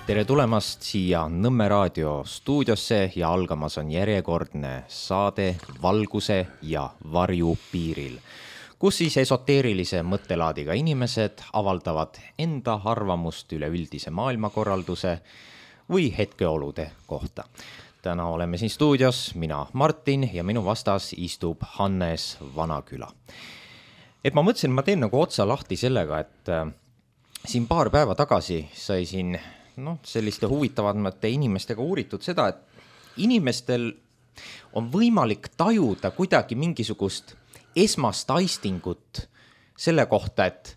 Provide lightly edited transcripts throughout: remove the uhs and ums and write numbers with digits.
Tere tulemast siia Nõmme raadio stuudiosse ja algamas on järjekordne saade Valguse ja varju piiril, kus siis esoteerilise mõttelaadiga inimesed avaldavad enda arvamust üleüldise maailmakorralduse või hetkeolude kohta. Täna oleme siin stuudios mina Martin ja minu vastas istub Hannes Vanaküla. Et ma mõtlesin, ma teen nagu otsa lahti sellega, et siin paar päeva tagasi sai siin selliste huvitavamate inimestega uuritud seda, et inimestel on võimalik tajuda kuidagi mingisugust esmast aistingut selle kohta, et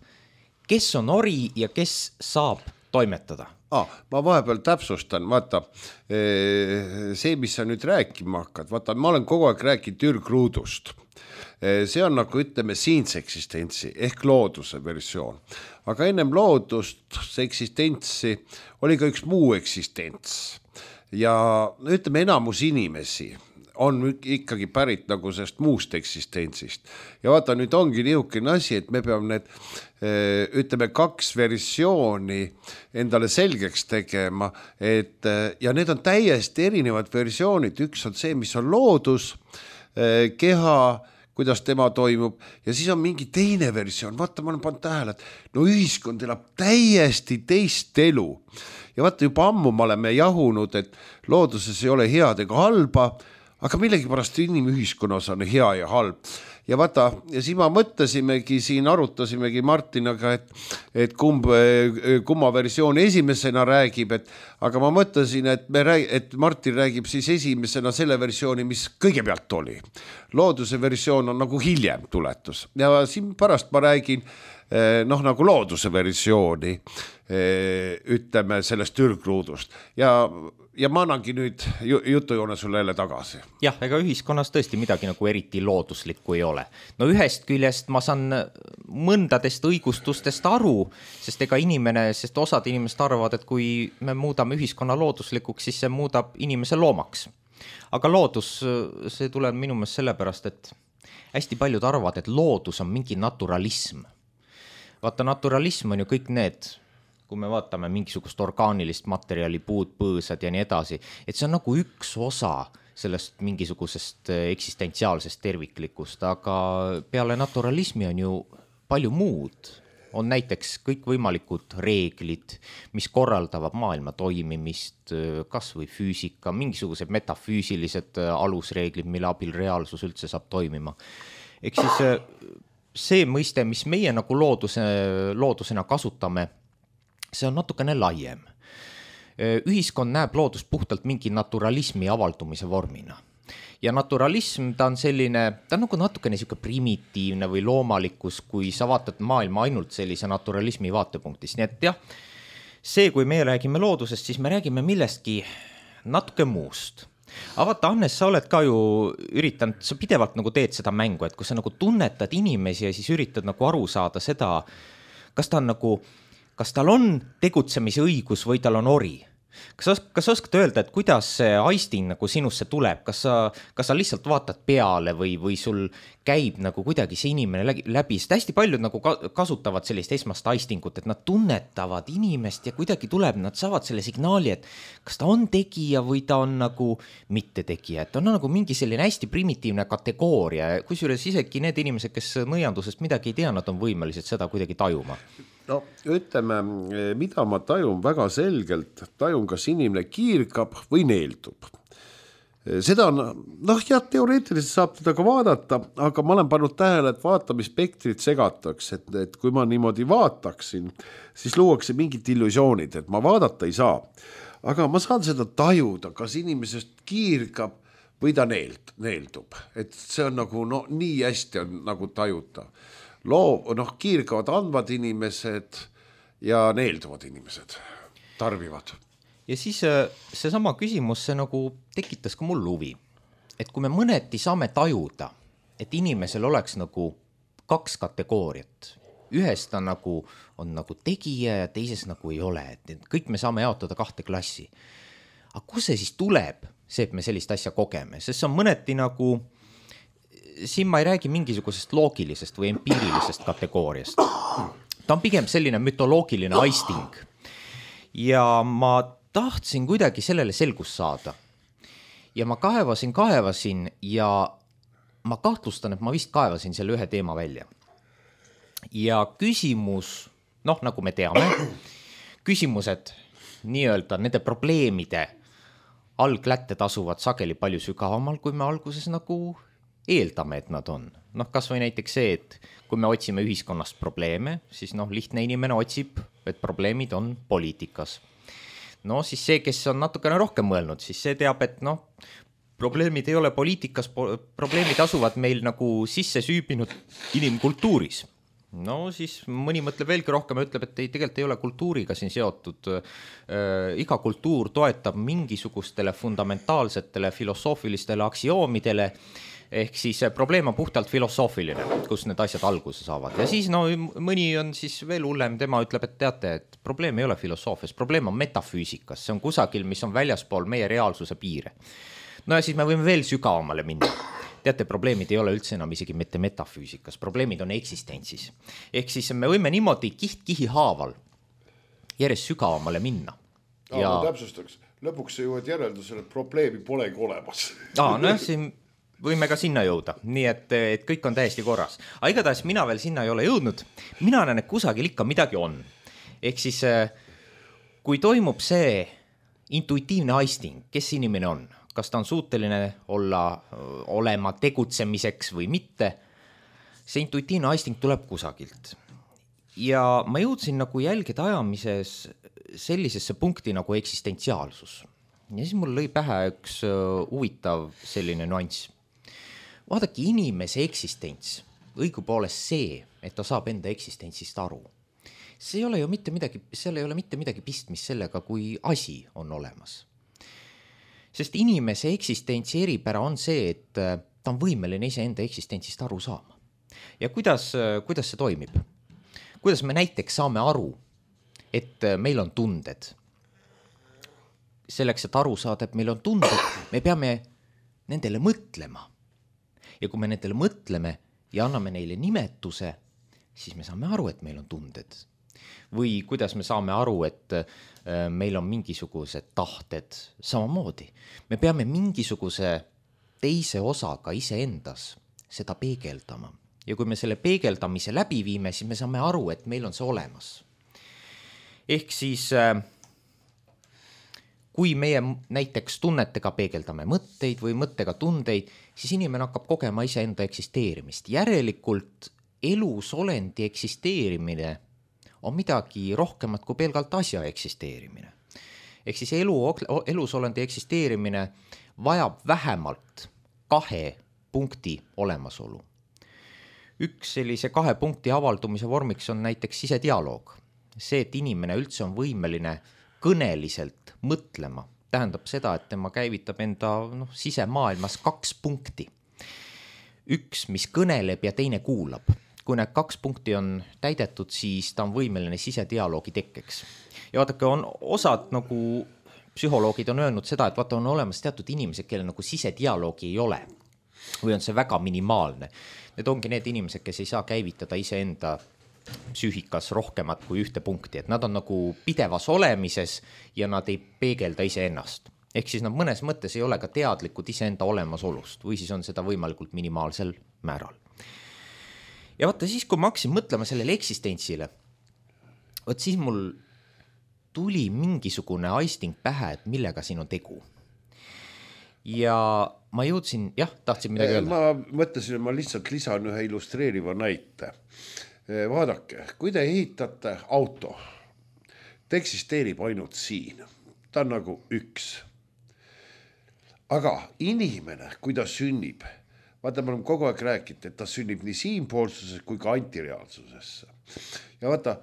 kes on ori ja kes saab toimetada. Ma vahepeal täpsustan, vaata, see, mis sa nüüd rääkima hakkad, vaata, ma olen kogu aeg rääkinud ürgruudust. See on nagu ütleme siinse eksistentsi ehk looduse versioon. Aga ennem loodust, see eksistentsi oli ka üks muu eksistents. Ja ütleme enamus inimesi on ikkagi pärit nagu sellest muust eksistentsist. Ja vaata, nüüd ongi niisugune asi, et me peame need, ütleme, kaks versiooni endale selgeks tegema, ja need on täiesti erinevad versioonid. Üks on see, mis on loodus, keha, kuidas tema toimub, ja siis on mingi teine versioon. Vaata, ma olen pannud tähele, et ühiskond elab täiesti teist elu. Ja vaata, juba ammu me oleme jahunud, et looduses ei ole head ega halba, aga millegipärast inimühiskonnas on hea ja halb. Ja vaata, ja siis ma mõtlesimegi, siin arutasimegi Martinaga, et kumma versioon esimesena räägib, aga ma mõtlesin, et Martin räägib siis esimesena selle versiooni, mis kõigepealt oli. Looduse versioon on nagu hiljem tuletus. Ja siin pärast ma räägin nagu looduse versiooni, ütleme sellest ürgruudust. Ja ma annangi nüüd jutujoone sulle jälle tagasi. Jah, ega ühiskonnas tõesti midagi nagu eriti looduslikku ei ole. No ühest küljest ma saan mõndadest õigustustest aru, sest osad inimesed arvavad, et kui me muudame ühiskonna looduslikuks, siis see muudab inimese loomaks. Aga loodus, see tuleb minu meelest sellepärast, et hästi paljud arvavad, et loodus on mingi naturalism. Vaata, naturalism on ju kõik need, kui me vaatame mingisugust orgaanilist materjali, puud, põõsad ja nii edasi, et see on nagu üks osa sellest mingisugusest eksistentsiaalsest terviklikust, aga peale naturalismi on ju palju muud. On näiteks kõikvõimalikud reeglid, mis korraldavad maailma toimimist, kas või füüsika, mingisugused metafüüsilised alusreeglid, mille abil reaalsus üldse saab toimima. Ehk siis see mõiste, mis meie nagu loodusena kasutame, see on natukene laiem. Ühiskond näeb loodust puhtalt mingi naturalismi avaldumise vormina. Ja naturalism, ta on nagu natukene selline primitiivne või loomalikkus, kui sa vaatad maailma ainult sellise naturalismi vaatepunktist. Nii et jah, see, kui me räägime loodusest, siis me räägime millestki natuke muust. Aga vaata, Hannes, sa oled ka ju üritanud, sa pidevalt nagu teed seda mängu, et kui sa nagu tunnetad inimesi ja siis üritad nagu aru saada seda, kas tal on tegutsemise õigus või tal on ori. Kas oskad öelda, et kuidas see aisting nagu sinusse tuleb? Kas sa lihtsalt vaatad peale või sul käib nagu kuidagi see inimene läbi? Sest hästi paljud nagu kasutavad sellist esmast aistingut, et nad tunnetavad inimest ja kuidagi tuleb, nad saavad selle signaali, et kas ta on tegija või ta on nagu mitte tegija. Et on nagu mingi selline hästi primitiivne kategooria, kusjuures isegi need inimesed, kes nõiandusest midagi ei tea, nad on võimelised seda kuidagi tajuma. No ütleme, mida ma tajun väga selgelt, tajun, kas inimene kiirgab või neeldub. Seda on, teoreetiliselt saab teda ka vaadata, aga ma olen pannud tähele, et vaatamisspektrit segatakse, et kui ma niimoodi vaataksin, siis luuakse mingid illusioonid, et ma vaadata ei saa. Aga ma saan seda tajuda, kas inimesest kiirgab või ta neeldub. Et see on nagu, nii hästi on nagu tajuta. Kiirgavad andvad inimesed ja neelduvad inimesed, tarbivad. Ja siis seesama küsimus, see nagu tekitas ka mul huvi, et kui me mõneti saame tajuda, et inimesel oleks nagu kaks kategooriat, ühes ta nagu on nagu tegija ja teises nagu ei ole, et kõik me saame jaotada kahte klassi. Aga kus see siis tuleb, see, et me sellist asja kogeme, sest see on mõneti nagu siin ma ei räägi mingisugusest loogilisest või empiirilisest kategooriast. Ta on pigem selline mütoloogiline aisting. ja ma tahtsin kuidagi sellele selgust saada. Ja ma kaevasin ja ma kahtlustan, et ma vist kaevasin selle ühe teema välja. Ja küsimus, nagu me teame, küsimused nii-öelda nende probleemide alglätted asuvad sageli palju sügavamal, kui me alguses nagu eeldame, et nad on. Kas või näiteks see, et kui me otsime ühiskonnast probleeme, siis lihtne inimene otsib, et probleemid on poliitikas. Siis see, kes on natukene rohkem mõelnud, siis see teab, et probleemid ei ole poliitikas, probleemid asuvad meil nagu sisse süübinud inimkultuuris. Siis mõni mõtleb veelgi rohkem ja ütleb, et tegelikult ei ole kultuuriga siin seotud. Iga kultuur toetab mingisugustele fundamentaalsetele filosoofilistele aksioomidele, ehk siis probleem on puhtalt filosoofiline, kus need asjad alguse saavad. Ja siis mõni on siis veel hullem, tema ütleb, et teate, et probleem ei ole filosoofias, probleem on metafüüsikas, see on kusagil, mis on väljaspool meie reaalsuse piire. Ja siis me võime veel sügavamale minna. Teate, probleemid ei ole üldse enam isegi mitte metafüüsikas, probleemid on eksistentsis. Ehk siis me võime niimoodi kihi haaval järjest sügavamale minna. Ma täpsustaks, lõpuks sa jõuad järeldusele, et probleemi polegi olemas. Siin võime ka sinna jõuda, nii et kõik on täiesti korras. Aga igatahes mina veel sinna ei ole jõudnud, mina näen, et kusagil ikka midagi on. Ehk siis, kui toimub see intuitiivne aisting, kes inimene on, kas ta on suuteline olema tegutsemiseks või mitte, see intuitiivne aisting tuleb kusagilt. Ja ma jõudsin nagu jälgede ajamises sellisesse punkti nagu eksistentsiaalsus. Ja siis mul lõi pähe üks huvitav selline nüanss. Vaadake, inimese eksistents, õigupoolest see, et ta saab enda eksistentsist aru. See ei ole ju mitte midagi pistmist sellega, kui asi on olemas. Sest inimese eksistentsi eripära on see, et ta on võimeline iseenda eksistentsist aru saama. Ja kuidas see toimib? Kuidas me näiteks saame aru, et meil on tunded? Selleks, et aru saada, et meil on tunded, me peame nendele mõtlema. Ja kui me nendele mõtleme ja anname neile nimetuse, siis me saame aru, et meil on tunded. Või kuidas me saame aru, et meil on mingisugused tahted samamoodi. Me peame mingisuguse teise osaga iseendas seda peegeldama. Ja kui me selle peegeldamise läbi viime, siis me saame aru, et meil on see olemas. Ehk siis, kui meie näiteks tunnetega peegeldame mõtteid või mõttega tundeid, siis inimene hakkab kogema iseenda eksisteerimist. Järelikult elusolendi eksisteerimine on midagi rohkemat kui pelgalt asja eksisteerimine. Ehk siis elusolendi eksisteerimine vajab vähemalt 2 punkti olemasolu. Üks sellise 2 punkti avaldumise vormiks on näiteks sisedialoog. See, et inimene üldse on võimeline kõneliselt mõtlema, tähendab seda, et tema käivitab enda sisemaailmas 2 punkti. Üks, mis kõneleb ja teine kuulab. Kui need 2 punkti on täidetud, siis ta on võimeline sisedialoogi tekkeks. Ja vaadake, on osad nagu psühholoogid on öelnud seda, et vaata on olemas teatud inimesed, kelle nagu sisedialoogi ei ole. Või on see väga minimaalne. Need ongi need inimesed, kes ei saa käivitada iseenda psüühikas rohkemat kui 1 punkti. Et nad on nagu pidevas olemises ja nad ei peegelda iseennast. Ehk siis nad mõnes mõttes ei ole ka teadlikud iseenda olemasolust või siis on seda võimalikult minimaalsel määral. Ja vaata siis, kui ma hakkasin mõtlema sellele eksistentsile, siis mul tuli mingisugune aisting pähe, et millega siin on tegu. Ja ma jõudsin, tahtsin midagi öelda. Ma mõtlesin, et ma lihtsalt lisan ühe illustreeriva näite. Vaadake, kui te ehitate auto, ta eksisteerib ainult siin. Ta on nagu üks. Aga inimene, kui ta sünnib, vaata, me oleme kogu aeg rääkinud, et ta sünnib nii siinpoolsuses kui ka antireaalsusesse. Ja vaata,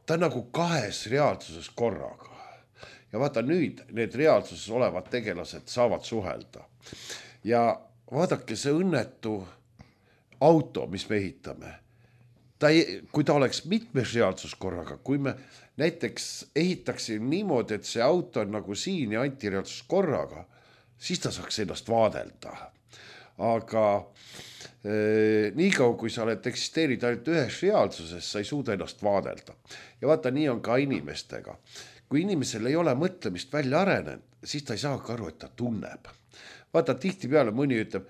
ta on nagu 2 reaalsuses korraga. Ja vaata, nüüd need reaalsuses olevad tegelased saavad suhelda. Ja vaadake, see õnnetu auto, mis me ehitame, kui ta oleks mitmes reaalsus korraga, kui me näiteks ehitaksime niimoodi, et see auto on nagu siin ja antireaalsus korraga, siis ta saaks ennast vaadelda. Aga niikaua, kui sa oled eksisteerid ainult ühes reaalsuses, sa ei suuda ennast vaadelda. Ja vaata, nii on ka inimestega. kui inimesel ei ole mõtlemist välja arenenud, siis ta ei saagi aru, et ta tunneb. Vaata, tihti peale mõni ütleb,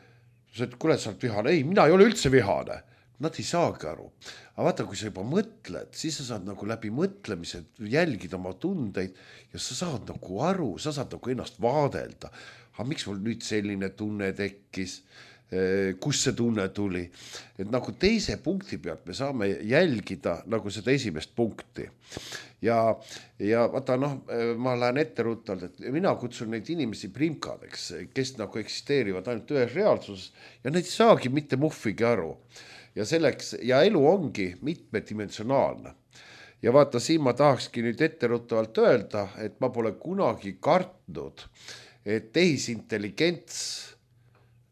et kuule, sa oled vihane. Ei, mina ei ole üldse vihane. Nad ei saagi aru. Aga vaata, kui sa juba mõtled, siis sa saad nagu läbi mõtlemise jälgida oma tundeid ja sa saad nagu aru, sa saad nagu ennast vaadelda. Aga miks mul nüüd selline tunne tekkis? Kus see tunne tuli? Et nagu teise punkti pealt me saame jälgida nagu seda esimest punkti. Ja vaata, ma lähen etteruttalt, et mina kutsun neid inimesi primkadeks, kes nagu eksisteerivad ainult ühes reaalsuses ja neid saagi mitte muhvigi aru. Ja elu ongi mitmedimensionaalne. Ja vaata, siin ma tahakski nüüd etteruttavalt öelda, et ma pole kunagi kartnud, et tehisintelligents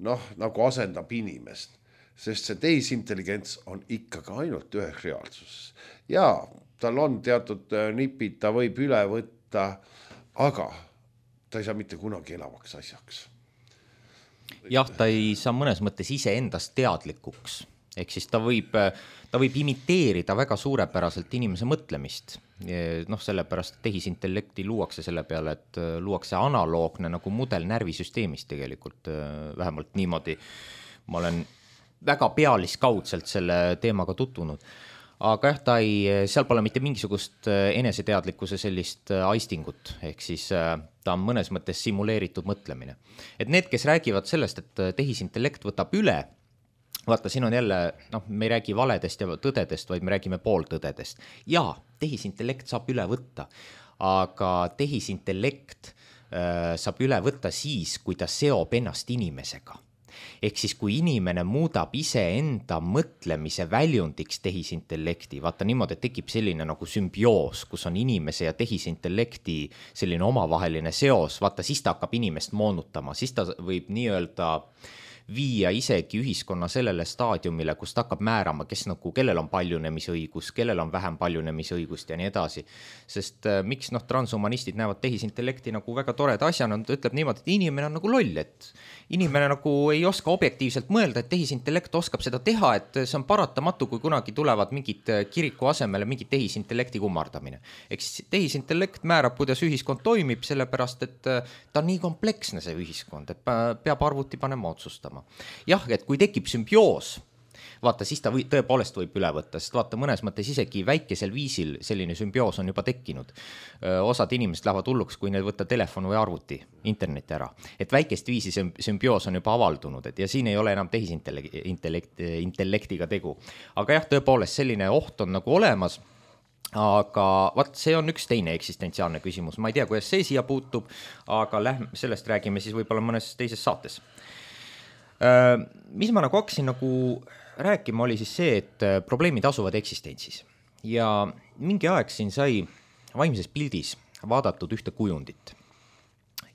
nagu asendab inimest, sest see tehisintelligents on ikkagi ainult ühes reaalsuses. Ja tal on teatud nipid, ta võib üle võtta, aga ta ei saa mitte kunagi elavaks asjaks. Jah, ta ei saa mõnes mõttes ise endast teadlikuks. Ehk siis ta võib imiteerida väga suurepäraselt inimese mõtlemist. Sellepärast tehisintellekti luuakse selle peale, et luuakse analoogne nagu mudel närvisüsteemist tegelikult, vähemalt niimoodi. Ma olen väga pealiskaudselt selle teemaga tutvunud. Aga jah, seal pole mitte mingisugust eneseteadlikkuse sellist aistingut, ehk siis ta on mõnes mõttes simuleeritud mõtlemine. Et need, kes räägivad sellest, et tehisintellekt võtab üle, vaata, siin on jälle, me ei räägi valedest ja tõdedest, vaid me räägime pooltõdedest. Ja tehisintellekt saab üle võtta, aga tehisintellekt saab üle võtta siis, kui ta seob ennast inimesega. Ehk siis, kui inimene muudab ise enda mõtlemise väljundiks tehisintellekti, vaata niimoodi, et tekib selline nagu sümbioos, kus on inimese ja tehisintellekti selline omavaheline seos, vaata, siis ta hakkab inimest moonutama, siis ta võib nii-öelda viia isegi ühiskonna sellele staadiumile, kus ta hakkab määrama, kellel on paljunemisõigus, kellel on vähem paljunemisõigust ja nii edasi. Sest miks transhumanistid näevad tehisintellekti nagu väga toreda asjana, ta ütleb niimoodi, et inimene on nagu loll, et inimene nagu ei oska objektiivselt mõelda, et tehisintellekt oskab seda teha, et see on paratamatu, kui kunagi tulevad mingid kiriku asemele mingid tehisintellekti kummardamine. Eks tehisintellekt määrab, kuidas ühiskond toimib, sellepärast, et ta on nii kompleksne see ühiskond, et peab arvuti panema otsustama. Jah, et kui tekib sümbioos, vaata, siis ta tõepoolest võib üle võtta, sest vaata, mõnes mõttes isegi väikesel viisil selline sümbioos on juba tekkinud. Osad inimesed lähevad hulluks, kui neil võtta telefon või arvuti, interneti ära. Et väikest viisi sümbioos on juba avaldunud, ja siin ei ole enam tehisintellektiga tegu. Aga jah, tõepoolest selline oht on nagu olemas. Aga see on üks teine eksistentsiaalne küsimus. Ma ei tea, kuidas see siia puutub, aga sellest räägime siis võib-olla mõnes teises saates. Mis ma nagu hakkasin rääkima, oli siis see, et probleemid asuvad eksistentsis. Ja mingi aeg siin sai vaimses pildis vaadatud ühte kujundit.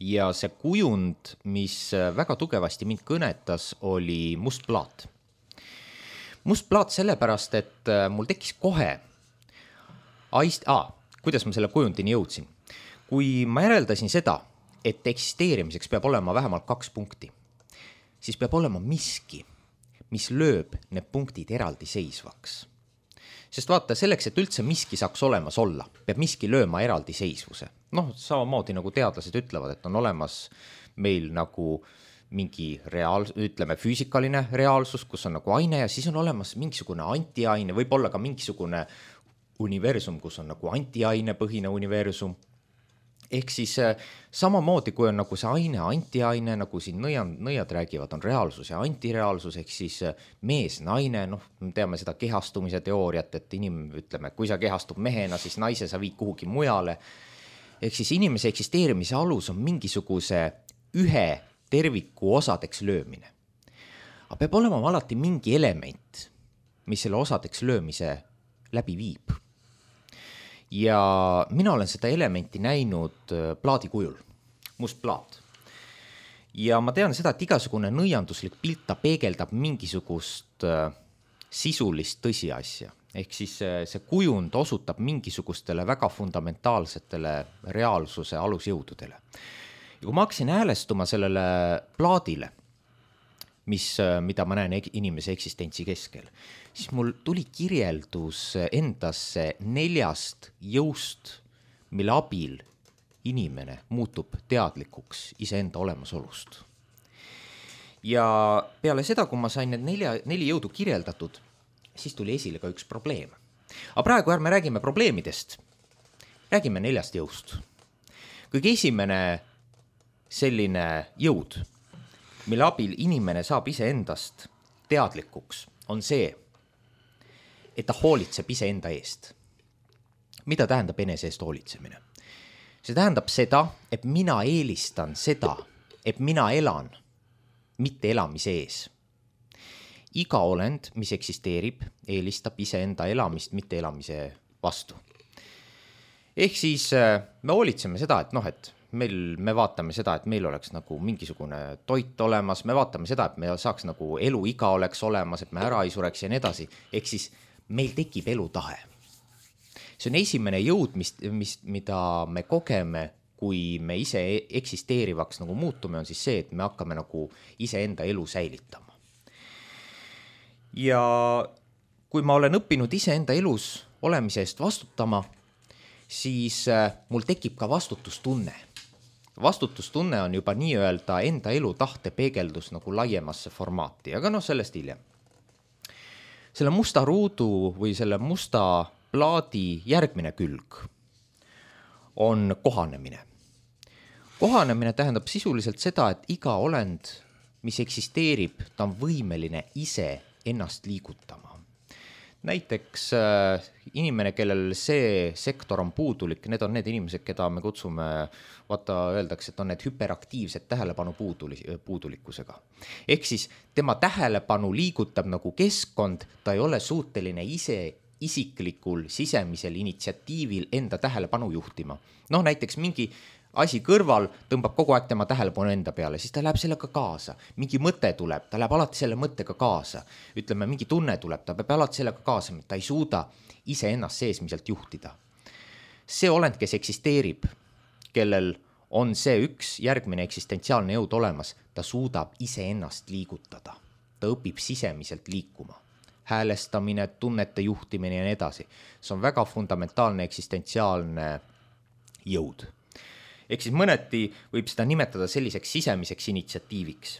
Ja see kujund, mis väga tugevasti mind kõnetas, oli must plaat. Must plaat sellepärast, et mul tekkis kohe kuidas ma selle kujundini jõudsin. Kui ma järeldasin seda, et eksisteerimiseks peab olema vähemalt 2 punkti, siis peab olema miski, mis lööb need punktid eraldi seisvaks. Sest vaata, selleks, et üldse miski saaks olemas olla, peab miski lööma eraldi seisvuse. Samamoodi nagu teadlased ütlevad, et on olemas meil nagu mingi füüsikaline reaalsus, kus on nagu aine ja siis on olemas mingisugune antiaine, võib olla ka mingisugune universum, kus on nagu antiainepõhine universum. Ehk siis samamoodi, kui on nagu see aine, antiaine, nagu siin nõiad räägivad, on reaalsus ja antireaalsus, ehk siis mees, naine, me teame seda kehastumise teooriat, et kui sa kehastub mehena, siis naise sa viid kuhugi mujale. Ehk siis inimese eksisteerimise alus on mingisuguse ühe terviku osadeks löömine. Aga peab olema alati mingi element, mis selle osadeks löömise läbi viib. Ja mina olen seda elementi näinud plaadi kujul, must plaat. Ja ma tean seda, et igasugune nõianduslik pilt ta peegeldab mingisugust sisulist tõsiasja. Ehk siis see kujund osutab mingisugustele väga fundamentaalsetele reaalsuse alusjõududele. Ja kui ma hakkasin häälestuma sellele plaadile, mida ma näen inimese eksistentsi keskel, siis mul tuli kirjeldus endasse 4 jõust, mille abil inimene muutub teadlikuks iseenda olemasolust. Ja peale seda, kui ma sain need neli jõudu kirjeldatud, siis tuli esile ka üks probleem. Aga praegu ärme räägime probleemidest, räägime 4 jõust. Kõige esimene selline jõud, mille abil inimene saab iseendast teadlikuks, on see, et ta hoolitseb iseenda eest. Mida tähendab enese eest hoolitsemine? See tähendab seda, et mina eelistan seda, et mina elan, mitte elamise ees. Iga olend, mis eksisteerib, eelistab iseenda elamist, mitte elamise vastu. Ehk siis me hoolitseme seda, et me vaatame seda, et meil oleks nagu mingisugune toit olemas, me vaatame seda, et me saaks nagu eluiga oleks olemas, et me ära ei sureks ja nii edasi. Ehk siis meil tekib elutahe. See on esimene jõud, mida me kogeme, kui me ise eksisteerivaks nagu muutume, on siis see, et me hakkame nagu iseenda elu säilitama. Ja kui ma olen õppinud iseenda elus olemise eest vastutama, siis mul tekib ka vastutustunne. Vastutustunne on juba nii-öelda enda elu tahte peegeldus nagu laiemasse formaati, aga sellest hiljem. Selle musta ruudu või selle musta plaadi järgmine külg on kohanemine. Kohanemine tähendab sisuliselt seda, et iga olend, mis eksisteerib, ta on võimeline ise ennast liigutama. Näiteks inimene, kellel see sektor on puudulik, need on need inimesed, keda me kutsume, öeldakse, et on need hüperaktiivsed tähelepanu puudulikkusega. Ehk siis tema tähelepanu liigutab nagu keskkond, ta ei ole suuteline ise isiklikul sisemisel initsiatiivil enda tähelepanu juhtima. Näiteks mingi asi kõrval tõmbab kogu aeg tema tähelepanu enda peale, siis ta läheb sellega kaasa. Mingi mõte tuleb, ta läheb alati selle mõttega kaasa. Ütleme, mingi tunne tuleb, ta peab alati sellega kaasa, ta ei suuda ise ennast seesmiselt juhtida. See olend, kes eksisteerib, kellel on see üks järgmine eksistentsiaalne jõud olemas, ta suudab ise ennast liigutada. Ta õpib sisemiselt liikuma. Häälestamine, tunnete juhtimine ja nii edasi. See on väga fundamentaalne eksistentsiaalne jõud. Ehk siis mõneti võib seda nimetada selliseks sisemiseks initsiatiiviks.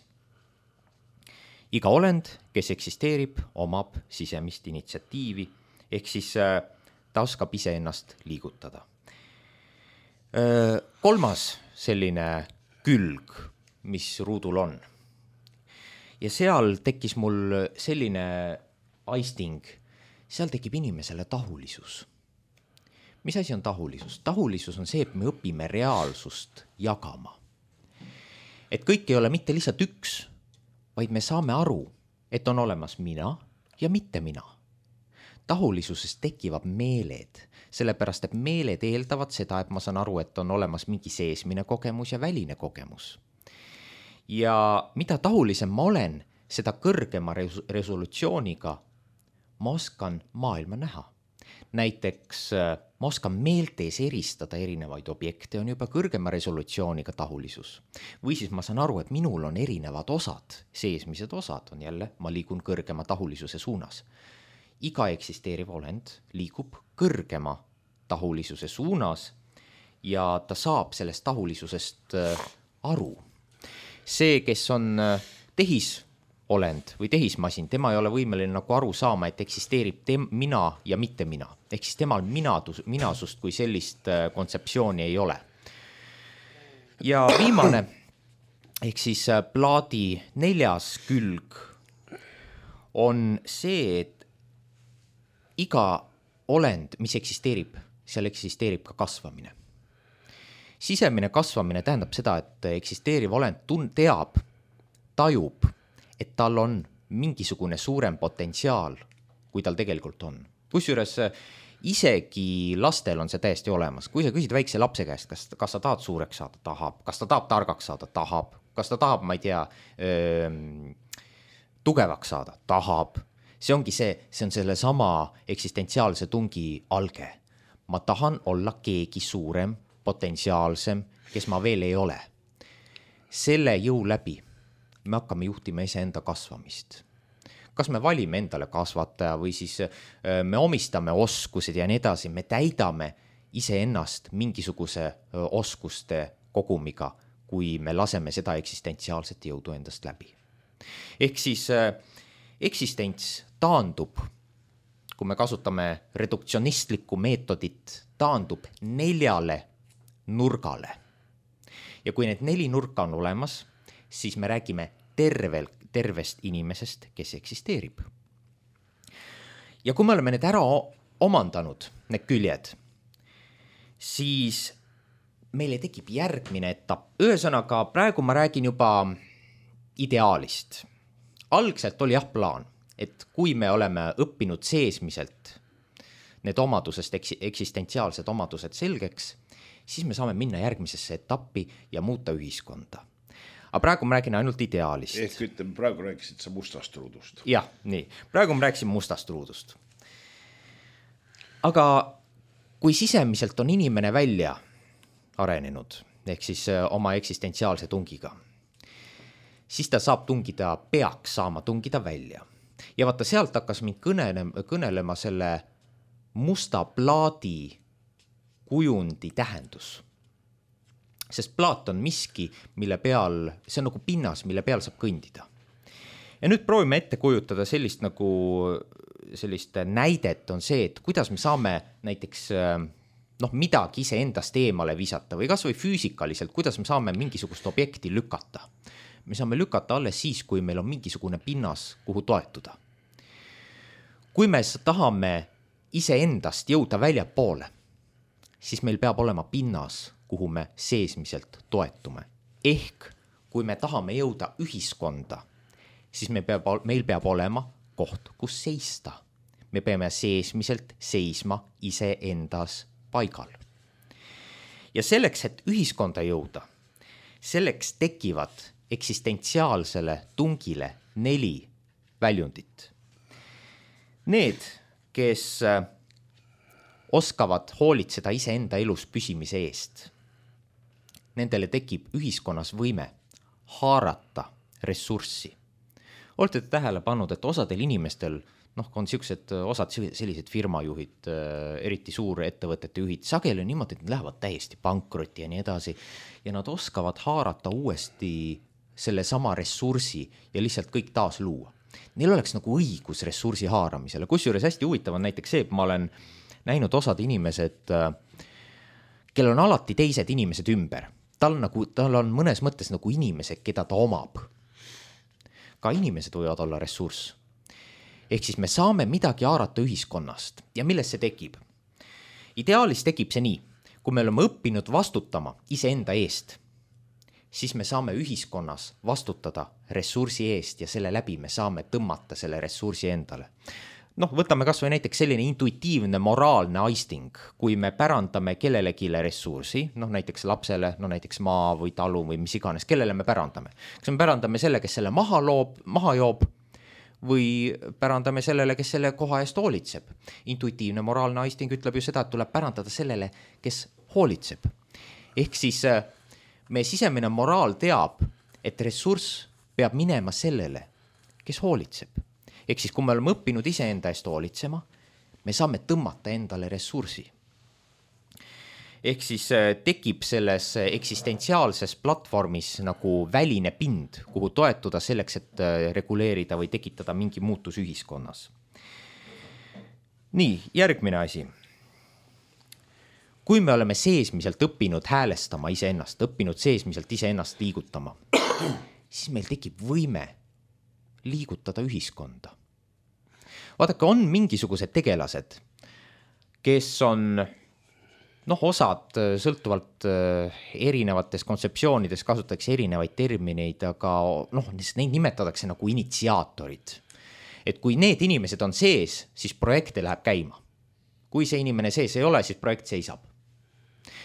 Iga olend, kes eksisteerib, omab sisemist initsiatiivi, ehk siis ta oskab ise ennast liigutada. 3. selline külg, mis ruudul on. Ja seal tekkis mul selline aisting, seal tekib inimesele tahulisus. Mis asi on tahulisus? Tahulisus on see, et me õpime reaalsust jagama. Et kõik ei ole mitte lihtsalt üks, vaid me saame aru, et on olemas mina ja mitte mina. Tahulisuses tekivad meeled, sellepärast et meeled eeldavad seda, et ma saan aru, et on olemas mingi seesmine kogemus ja väline kogemus. Ja mida tahulisem ma olen, seda kõrgema resolutsiooniga ma oskan maailma näha. Näiteks ma oskan meeltes eristada erinevaid objekte, on juba kõrgema resolutsiooniga tahulisus. Või siis ma saan aru, et minul on erinevad osad, seesmised osad on jälle, ma liigun kõrgema tahulisuse suunas. Iga eksisteeriv olend liigub kõrgema tahulisuse suunas ja ta saab sellest tahulisusest aru. See, kes on tehisolend või tehismasin, tema ei ole võimeline nagu aru saama, et eksisteerib mina ja mitte mina. Ehk siis temal minasust kui sellist kontseptsiooni ei ole. Ja viimane, ehk siis plaadi 4. külg on see, et iga olend, mis eksisteerib, seal eksisteerib ka kasvamine. Sisemine kasvamine tähendab seda, et eksisteeriv olend teab, tajub, et tal on mingisugune suurem potentsiaal, kui tal tegelikult on. Kusjuures isegi lastel on see täiesti olemas. Kui sa küsid väikse lapse käest, kas sa tahad suureks saada, tahab. Kas ta tahab targaks saada, tahab. Kas ta tahab, ma ei tea, tugevaks saada, tahab. See ongi see on selle sama eksistentsiaalse tungi alge. Ma tahan olla keegi suurem, potentsiaalsem, kes ma veel ei ole. Selle jõu läbi me hakkame juhtima iseenda kasvamist. Kas me valime endale kasvataja või siis me omistame oskused ja nii edasi, me täidame iseennast mingisuguse oskuste kogumiga, kui me laseme seda eksistentsiaalset jõudu endast läbi. Ehk siis eksistents taandub, kui me kasutame reduktsionistlikku meetodit, taandub 4 nurgale. Ja kui need 4 nurka on olemas, siis me räägime tervest inimesest, kes eksisteerib. Ja kui me oleme need ära omandanud, need küljed, siis meile tekib järgmine etapp. Ühesõnaga, praegu ma räägin juba ideaalist. Algselt oli plaan, et kui me oleme õppinud seesmiselt need omadusest, eksistentsiaalsed omadused selgeks, siis me saame minna järgmisesse etappi ja muuta ühiskonda. Aga praegu ma räägin ainult ideaalist. Ehk ütleme, praegu rääkisid sa mustast ruudust. Jah, nii. Praegu ma rääkisin mustast ruudust. Aga kui sisemiselt on inimene välja arenenud, ehk siis oma eksistentsiaalse tungiga, siis ta saab tungida, peaks saama tungida välja. Ja vaata, sealt hakkas mind kõnelema selle musta plaadi kujundi tähendus. Sest plaat on miski, mille peal, see on nagu pinnas, mille peal saab kõndida. Ja nüüd proovime ette kujutada sellist näidet on see, et kuidas me saame näiteks midagi ise endast eemale visata või kas või füüsikaliselt, kuidas me saame mingisugust objekti lükata. Me saame lükata alles siis, kui meil on mingisugune pinnas, kuhu toetuda. Kui me tahame ise endast jõuda väljapoole, siis meil peab olema pinnas, kuhu me seesmiselt toetume. Ehk kui me tahame jõuda ühiskonda, siis meil peab olema koht, kus seista. Me peame seesmiselt seisma ise endas paigal. Ja selleks, et ühiskonda jõuda, selleks tekivad eksistentsiaalsele tungile 4 väljundit. Need, kes oskavad hoolitseda iseenda elus püsimise eest, nendele tekib ühiskonnas võime haarata ressurssi. Olete tähele pannud, et osadel inimestel, on osad sellised firmajuhid, eriti suure ettevõtete juhid, sageli on niimoodi, et nad lähevad täiesti pankrotti ja nii edasi ja nad oskavad haarata uuesti selle sama ressursi ja lihtsalt kõik taas luua. Neil oleks nagu õigus ressursi haaramisele. Kusjuures hästi huvitav on näiteks see, et ma olen näinud osad inimesed, kellel on alati teised inimesed ümber. Tal on mõnes mõttes nagu inimesed, keda ta omab. Ka inimesed võivad olla ressurss. Ehk siis me saame midagi haarata ühiskonnast. Ja millest see tekib? Ideaalis tekib see nii, kui me oleme õppinud vastutama iseenda eest, siis me saame ühiskonnas vastutada ressursi eest ja selle läbi me saame tõmmata selle ressursi endale. Võtame kas või näiteks selline intuitiivne moraalne aisting, kui me pärandame kellelegi ressursi, näiteks lapsele, näiteks maa või talu või mis iganes, kellele me pärandame. Kas me pärandame selle, kes selle maha joob või pärandame sellele, kes selle koha eest hoolitseb. Intuitiivne moraalne aisting ütleb ju seda, et tuleb pärandada sellele, kes hoolitseb. Ehk siis meie sisemine moraal teab, et ressurss peab minema sellele, kes hoolitseb. Ehk siis, kui me oleme õppinud iseenda eest hoolitsema, me saame tõmmata endale ressursi. Ehk siis tekib selles eksistentsiaalses platvormis nagu väline pind, kuhu toetuda selleks, et reguleerida või tekitada mingi muutus ühiskonnas. Nii, järgmine asi. Kui me oleme seesmiselt õppinud häälestama iseennast, õppinud seesmiselt iseennast liigutama, siis meil tekib võime liigutada ühiskonda. Vaadake, on mingisugused tegelased, kes on, osad sõltuvalt erinevates kontseptsioonides kasutatakse erinevaid termineid, aga neid nimetatakse nagu initsiaatorid. Et kui need inimesed on sees, siis projekte läheb käima. Kui see inimene sees ei ole, siis projekt seisab.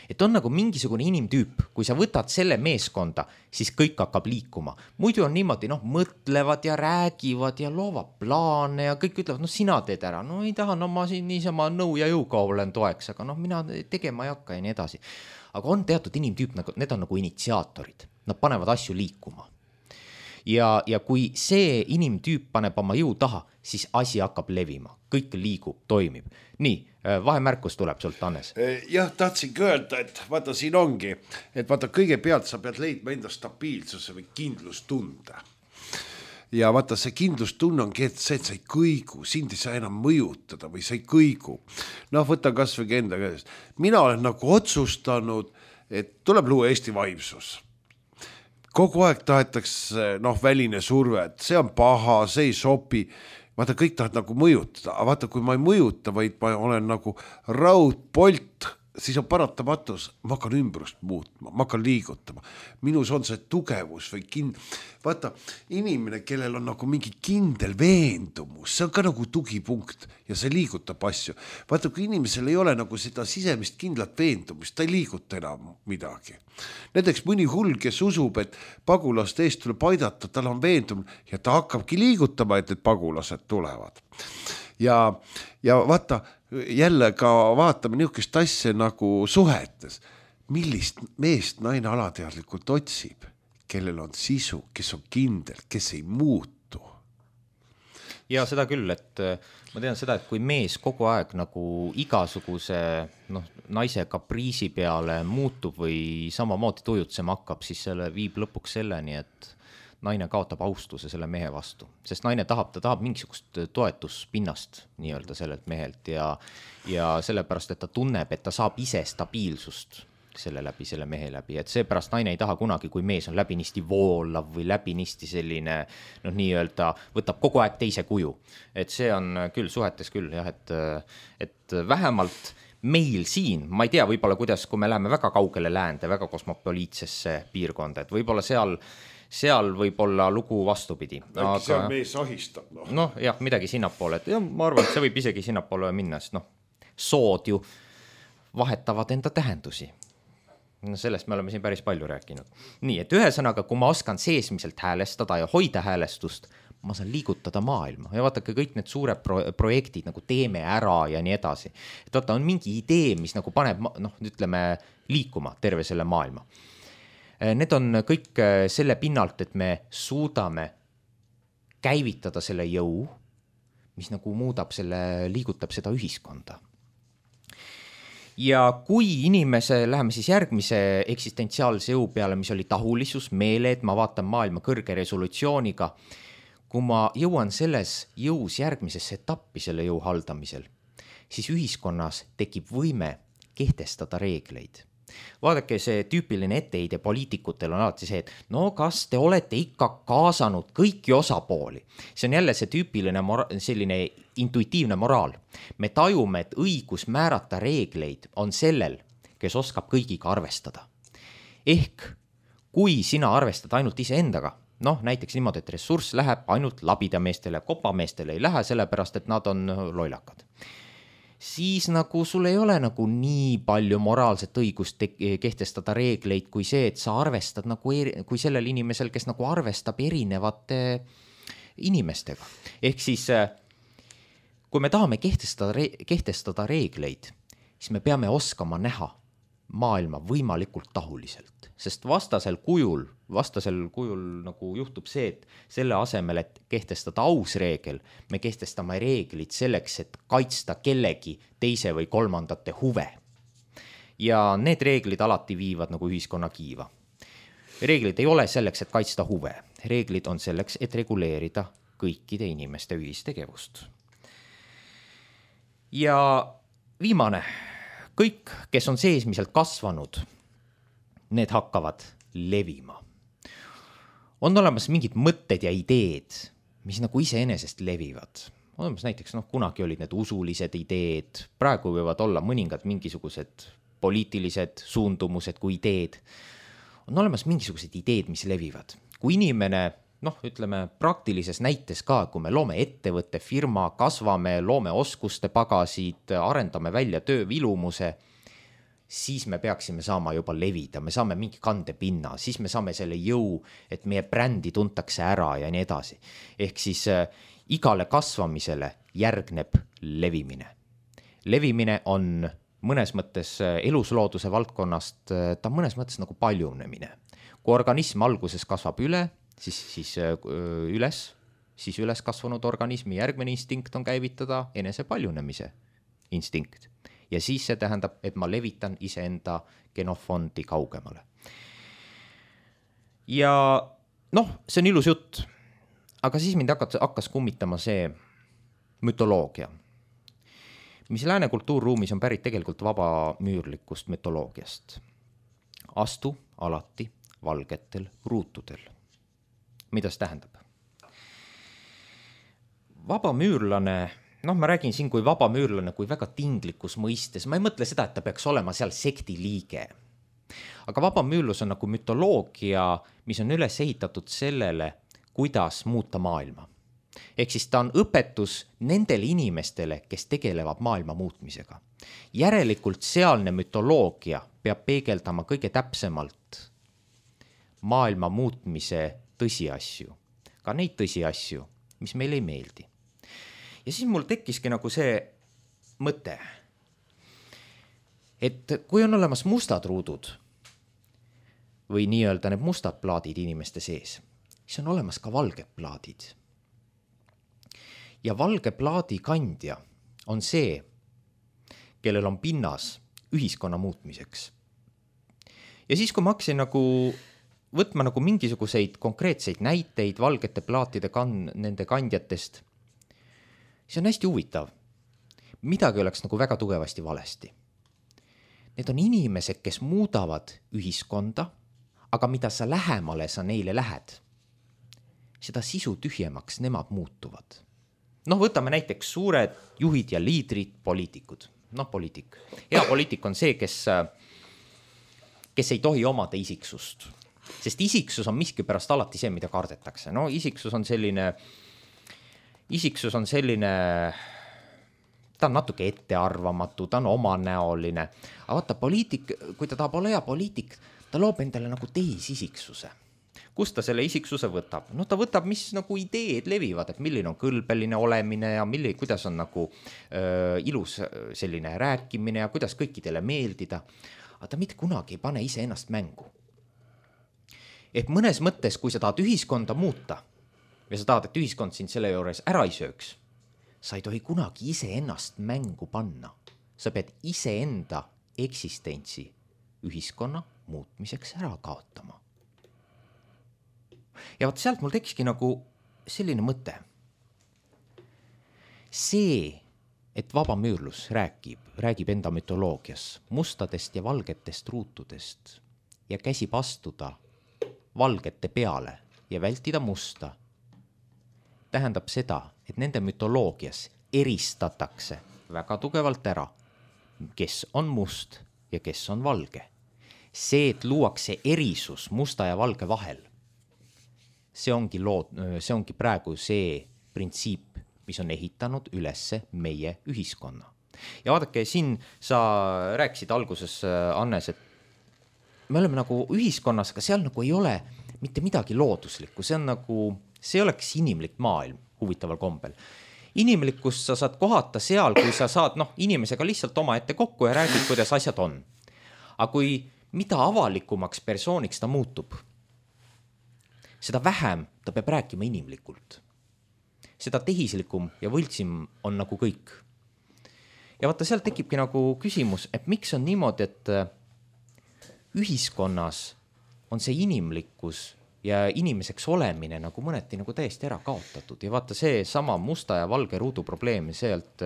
Et on nagu mingisugune inimtüüp, kui sa võtad selle meeskonda, siis kõik hakkab liikuma. Muidu on niimoodi, mõtlevad ja räägivad ja loovad plaane ja kõik ütlevad, sina teed ära. Ei taha, ma siin niisama nõu ja jõuga olen toeks, aga mina tegema ei hakka ja nii edasi. Aga on teatud inimtüüp, need on nagu initsiaatorid. Nad panevad asju liikuma. Ja kui see inimtüüp paneb oma jõu taha, siis asi hakkab levima. Kõik liigub, toimib. Nii, Vahemärkus tuleb sult, Hannes. Jah, tahtsingi öelda, et vaata siin ongi, et vaata kõigepealt sa pead leidma enda stabiilsuse või kindlustunde. Ja vaata see kindlustunne ongi, et see, et sa ei kõigu, sind ei saa enam mõjutada või sa ei kõigu. Noh, võta kas või enda käest. Mina olen nagu otsustanud, et tuleb luua Eesti vaimsus. Kogu aeg tahetakse väline surve, et see on paha, see ei sobi. Vaata, kõik tahad nagu mõjutada, aga vaata, kui ma ei mõjuta, vaid ma olen nagu raudpolt, siis on paratamatus, ma hakkan ümbrust muutma, ma hakkan liigutama. Minus on see tugevus või vaata, inimene, kellel on nagu mingi kindel veendumus, see on ka nagu tugipunkt ja see liigutab asju. Vaata, kui inimesel ei ole nagu seda sisemist kindlat veendumist, ta ei liiguta enam midagi. Näiteks mõni hull, kes usub, et pagulaste eest tuleb aidata, tal on veendumine ja ta hakkabki liigutama, et need pagulased tulevad. Ja vaata, jälle ka vaatame niisugust asja nagu suhetes. Millist meest naine alateadlikult otsib, kellel on sisu, kes on kindel, kes ei muutu. Ja seda küll, et ma tean seda, et kui mees kogu aeg nagu igasuguse naise kapriisi peale muutub või samamoodi tujutsema hakkab, siis selle viib lõpuks selleni, et naine kaotab austuse selle mehe vastu, sest naine ta tahab mingisugust toetuspinnast nii-öelda sellelt mehelt ja sellepärast, et ta tunneb, et ta saab ise stabiilsust selle mehe läbi, et seepärast naine ei taha kunagi, kui mees on läbinisti voolav või läbinisti selline nii-öelda võtab kogu aeg teise kuju, et see on küll suhetes küll jah, et vähemalt meil siin, ma ei tea võib-olla kuidas, kui me läheme väga kaugele läände, väga kosmopoliitsesse piirkonda, et võib-olla seal võib olla lugu vastupidi. Aga seal mees ahistab. Jah, midagi sinnapoole, et ma arvan, et see võib isegi sinnapoole minna, sest sood ju vahetavad enda tähendusi. Sellest me oleme siin päris palju rääkinud. Nii, et ühesõnaga, kui ma oskan seesmiselt häälestada ja hoida häälestust, ma saan liigutada maailma ja vaatake kõik need suured projektid nagu teeme ära ja nii edasi. Et vaata, on mingi idee, mis nagu paneb, ütleme, liikuma terve selle maailma. Need on kõik selle pinnalt, et me suudame käivitada selle jõu, mis nagu liigutab seda ühiskonda. Ja kui läheme siis järgmise eksistentsiaalse jõu peale, mis oli tahulisus, meele, et ma vaatan maailma kõrge resolutsiooniga, kui ma jõuan selles jõus järgmisesse etappi selle jõu haldamisel, siis ühiskonnas tekib võime kehtestada reegleid. Vaadake, see tüüpiline etteheide poliitikutel on alati see, et kas te olete ikka kaasanud kõiki osapooli. See on jälle see tüüpiline selline intuitiivne moraal. Me tajume, et õigus määrata reegleid on sellel, kes oskab kõigiga arvestada. Ehk kui sina arvestad ainult iseendaga, näiteks niimoodi, et ressurss läheb ainult labidameestele, kopameestele ei lähe, sellepärast, et nad on lollakad. Siis nagu sul ei ole nagu nii palju moraalset õigust kehtestada reegleid kui see, et sa arvestad nagu kui sellel inimesel, kes nagu arvestab erinevate inimestega. Ehk siis, kui me tahame kehtestada reegleid, siis me peame oskama näha maailma võimalikult tahuliselt, sest vastasel kujul nagu juhtub see, et selle asemel, et kehtestada aus reegel, me kehtestame reeglid selleks, et kaitsta kellegi teise või kolmandate huve. Ja need reeglid alati viivad nagu ühiskonna kiiva. Reeglid ei ole selleks, et kaitsta huve. Reeglid on selleks, et reguleerida kõikide inimeste ühistegevust. Ja viimane, kõik, kes on seesmiselt kasvanud, need hakkavad levima. On olemas mingid mõtted ja ideed, mis nagu iseenesest levivad. Olemas näiteks, kunagi olid need usulised ideed, praegu võivad olla mõningad mingisugused poliitilised suundumused kui ideed. On olemas mingisugused ideed, mis levivad. Kui inimene, ütleme praktilises näites ka, kui me loome ettevõtte, firma, kasvame, loome oskuste pagasid, arendame välja töövilumuse, siis me peaksime saama juba levida, me saame mingi kandepinna, siis me saame selle jõu, et meie brändi tuntakse ära ja nii edasi. Ehk siis igale kasvamisele järgneb levimine. Levimine on mõnes mõttes eluslooduse valdkonnast, ta mõnes mõttes nagu paljunemine. Kui organism alguses kasvab siis üles kasvanud organismi järgmine instinkt on käivitada enese paljunemise instinkt. Ja siis see tähendab, et ma levitan iseenda genofondi kaugemale. Ja noh, see on ilus jutt, aga siis mind hakkas kummitama see mütoloogia, mis lääne kultuurruumis on pärit tegelikult vabamüürlikust mütoloogiast. Astu alati valgetel ruutudel. Mida see tähendab? Vabamüürlane, noh, ma räägin siin kui vabamüürlane, kui väga tinglikus mõistes. Ma ei mõtle seda, et ta peaks olema seal sekti liige. Aga vabamüürlus on nagu mütoloogia, mis on üles ehitatud sellele, kuidas muuta maailma. Ehk siis ta on õpetus nendele inimestele, kes tegelevad maailma muutmisega. Järelikult sealne mütoloogia peab peegeldama kõige täpsemalt maailma muutmise tõsiasju. Ka neid tõsiasju, mis meile ei meeldi. Ja siis mul tekkiski nagu see mõte, et kui on olemas mustad ruudud või nii-öelda need mustad plaadid inimeste sees, siis on olemas ka valged plaadid. Ja valge plaadi kandja on see, kellel on pinnas ühiskonna muutmiseks. Ja siis, kui ma hakkasin nagu võtma nagu mingisuguseid konkreetseid näiteid valgete plaatide nende kandjatest, siis on hästi huvitav. Midagi oleks nagu väga tugevasti valesti. Need on inimesed, kes muudavad ühiskonda, aga mida sa lähemale sa neile lähed, seda sisu tühjemaks nemad muutuvad. Noh, võtame näiteks suured juhid ja liidrid, poliitikud. Noh, poliitik. Hea poliitik on see, kes ei tohi omada isiksust. Sest isiksus on miskipärast alati see, mida kardetakse. No, isiksus on selline, ta on natuke ettearvamatu, ta on omanäoline. Aga vaata, poliitik, kui ta tahab olla hea poliitik, ta loob endale nagu tehisisiksuse. Kust ta selle isiksuse võtab? No ta võtab, mis nagu ideed levivad, et milline on kõlbeline olemine ja kuidas on nagu ilus selline rääkimine ja kuidas kõikidele meeldida. Aga ta mitte kunagi ei pane ise ennast mängu. Et mõnes mõttes, kui sa tahad ühiskonda muuta ja sa tahad, et ühiskond sind selle juures ära ei sööks, sa ei tohi kunagi ise ennast mängu panna. Sa pead ise enda eksistentsi ühiskonna muutmiseks ära kaotama. Ja vaat sealt mul tekiski nagu selline mõte. See, et vabamüürlus räägib enda mütoloogias mustadest ja valgetest ruutudest ja käsib astuda valgete peale ja vältida musta, tähendab seda, et nende mütoloogias eristatakse väga tugevalt ära, kes on must ja kes on valge. See, et luuakse erisus musta ja valge vahel, see ongi praegu see printsiip, mis on ehitanud ülesse meie ühiskonna. Ja vaadake, siin sa rääkisid alguses, Annes, et me oleme nagu ühiskonnas, aga seal nagu ei ole mitte midagi looduslikku, see oleks inimlik maailm huvitaval kombel. Inimlikkust sa saad kohata seal, kui sa saad inimesega lihtsalt oma ette kokku ja räägid, kuidas asjad on. Aga kui mida avalikumaks persooniks ta muutub, seda vähem ta peab rääkima inimlikult. Seda tehislikum ja võltsim on nagu kõik. Ja vaata, seal tekibki nagu küsimus, et miks on niimoodi, et ühiskonnas on see inimlikkus ja inimeseks olemine nagu mõneti nagu täiesti ära kaotatud. Ja vaata, see sama musta ja valge ruudu probleem, sealt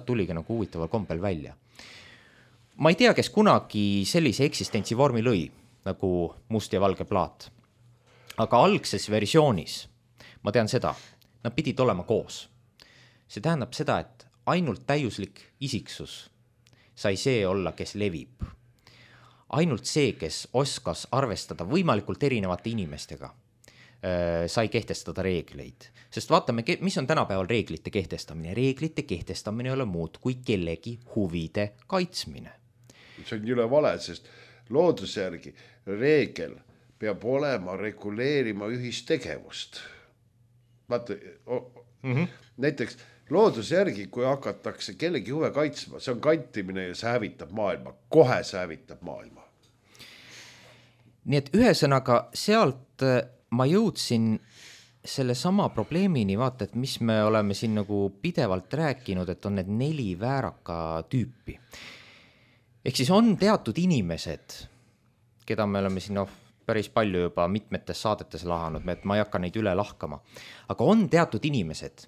tuligi nagu huvitaval kombel välja. Ma ei tea, kes kunagi sellise eksistentsi vormi lõi, nagu must ja valge plaat. Aga algses versioonis, ma tean seda, nad pidid olema koos. See tähendab seda, et ainult täiuslik isiksus sai see olla, kes levib. Ainult see, kes oskas arvestada võimalikult erinevate inimestega, sai kehtestada reegleid. Sest vaatame, mis on tänapäeval reeglite kehtestamine. Reeglite kehtestamine ei ole muud kui kellegi huvide kaitsmine. See on jõle vale, sest looduse järgi reegel peab olema reguleerima ühistegevust. Vaata, näiteks looduse järgi, kui hakatakse kellegi huve kaitsma, see on kantimine ja see hävitab maailma, kohe see hävitab maailma. Nii et ühesõnaga sealt ma jõudsin selle sama probleemini vaata, et mis me oleme siin nagu pidevalt rääkinud, et on need 4 vääraka tüüpi. Ehk siis on teatud inimesed, keda me oleme siin päris palju juba mitmetes saadetes lahanud, et ma ei hakka neid üle lahkama. Aga on teatud inimesed,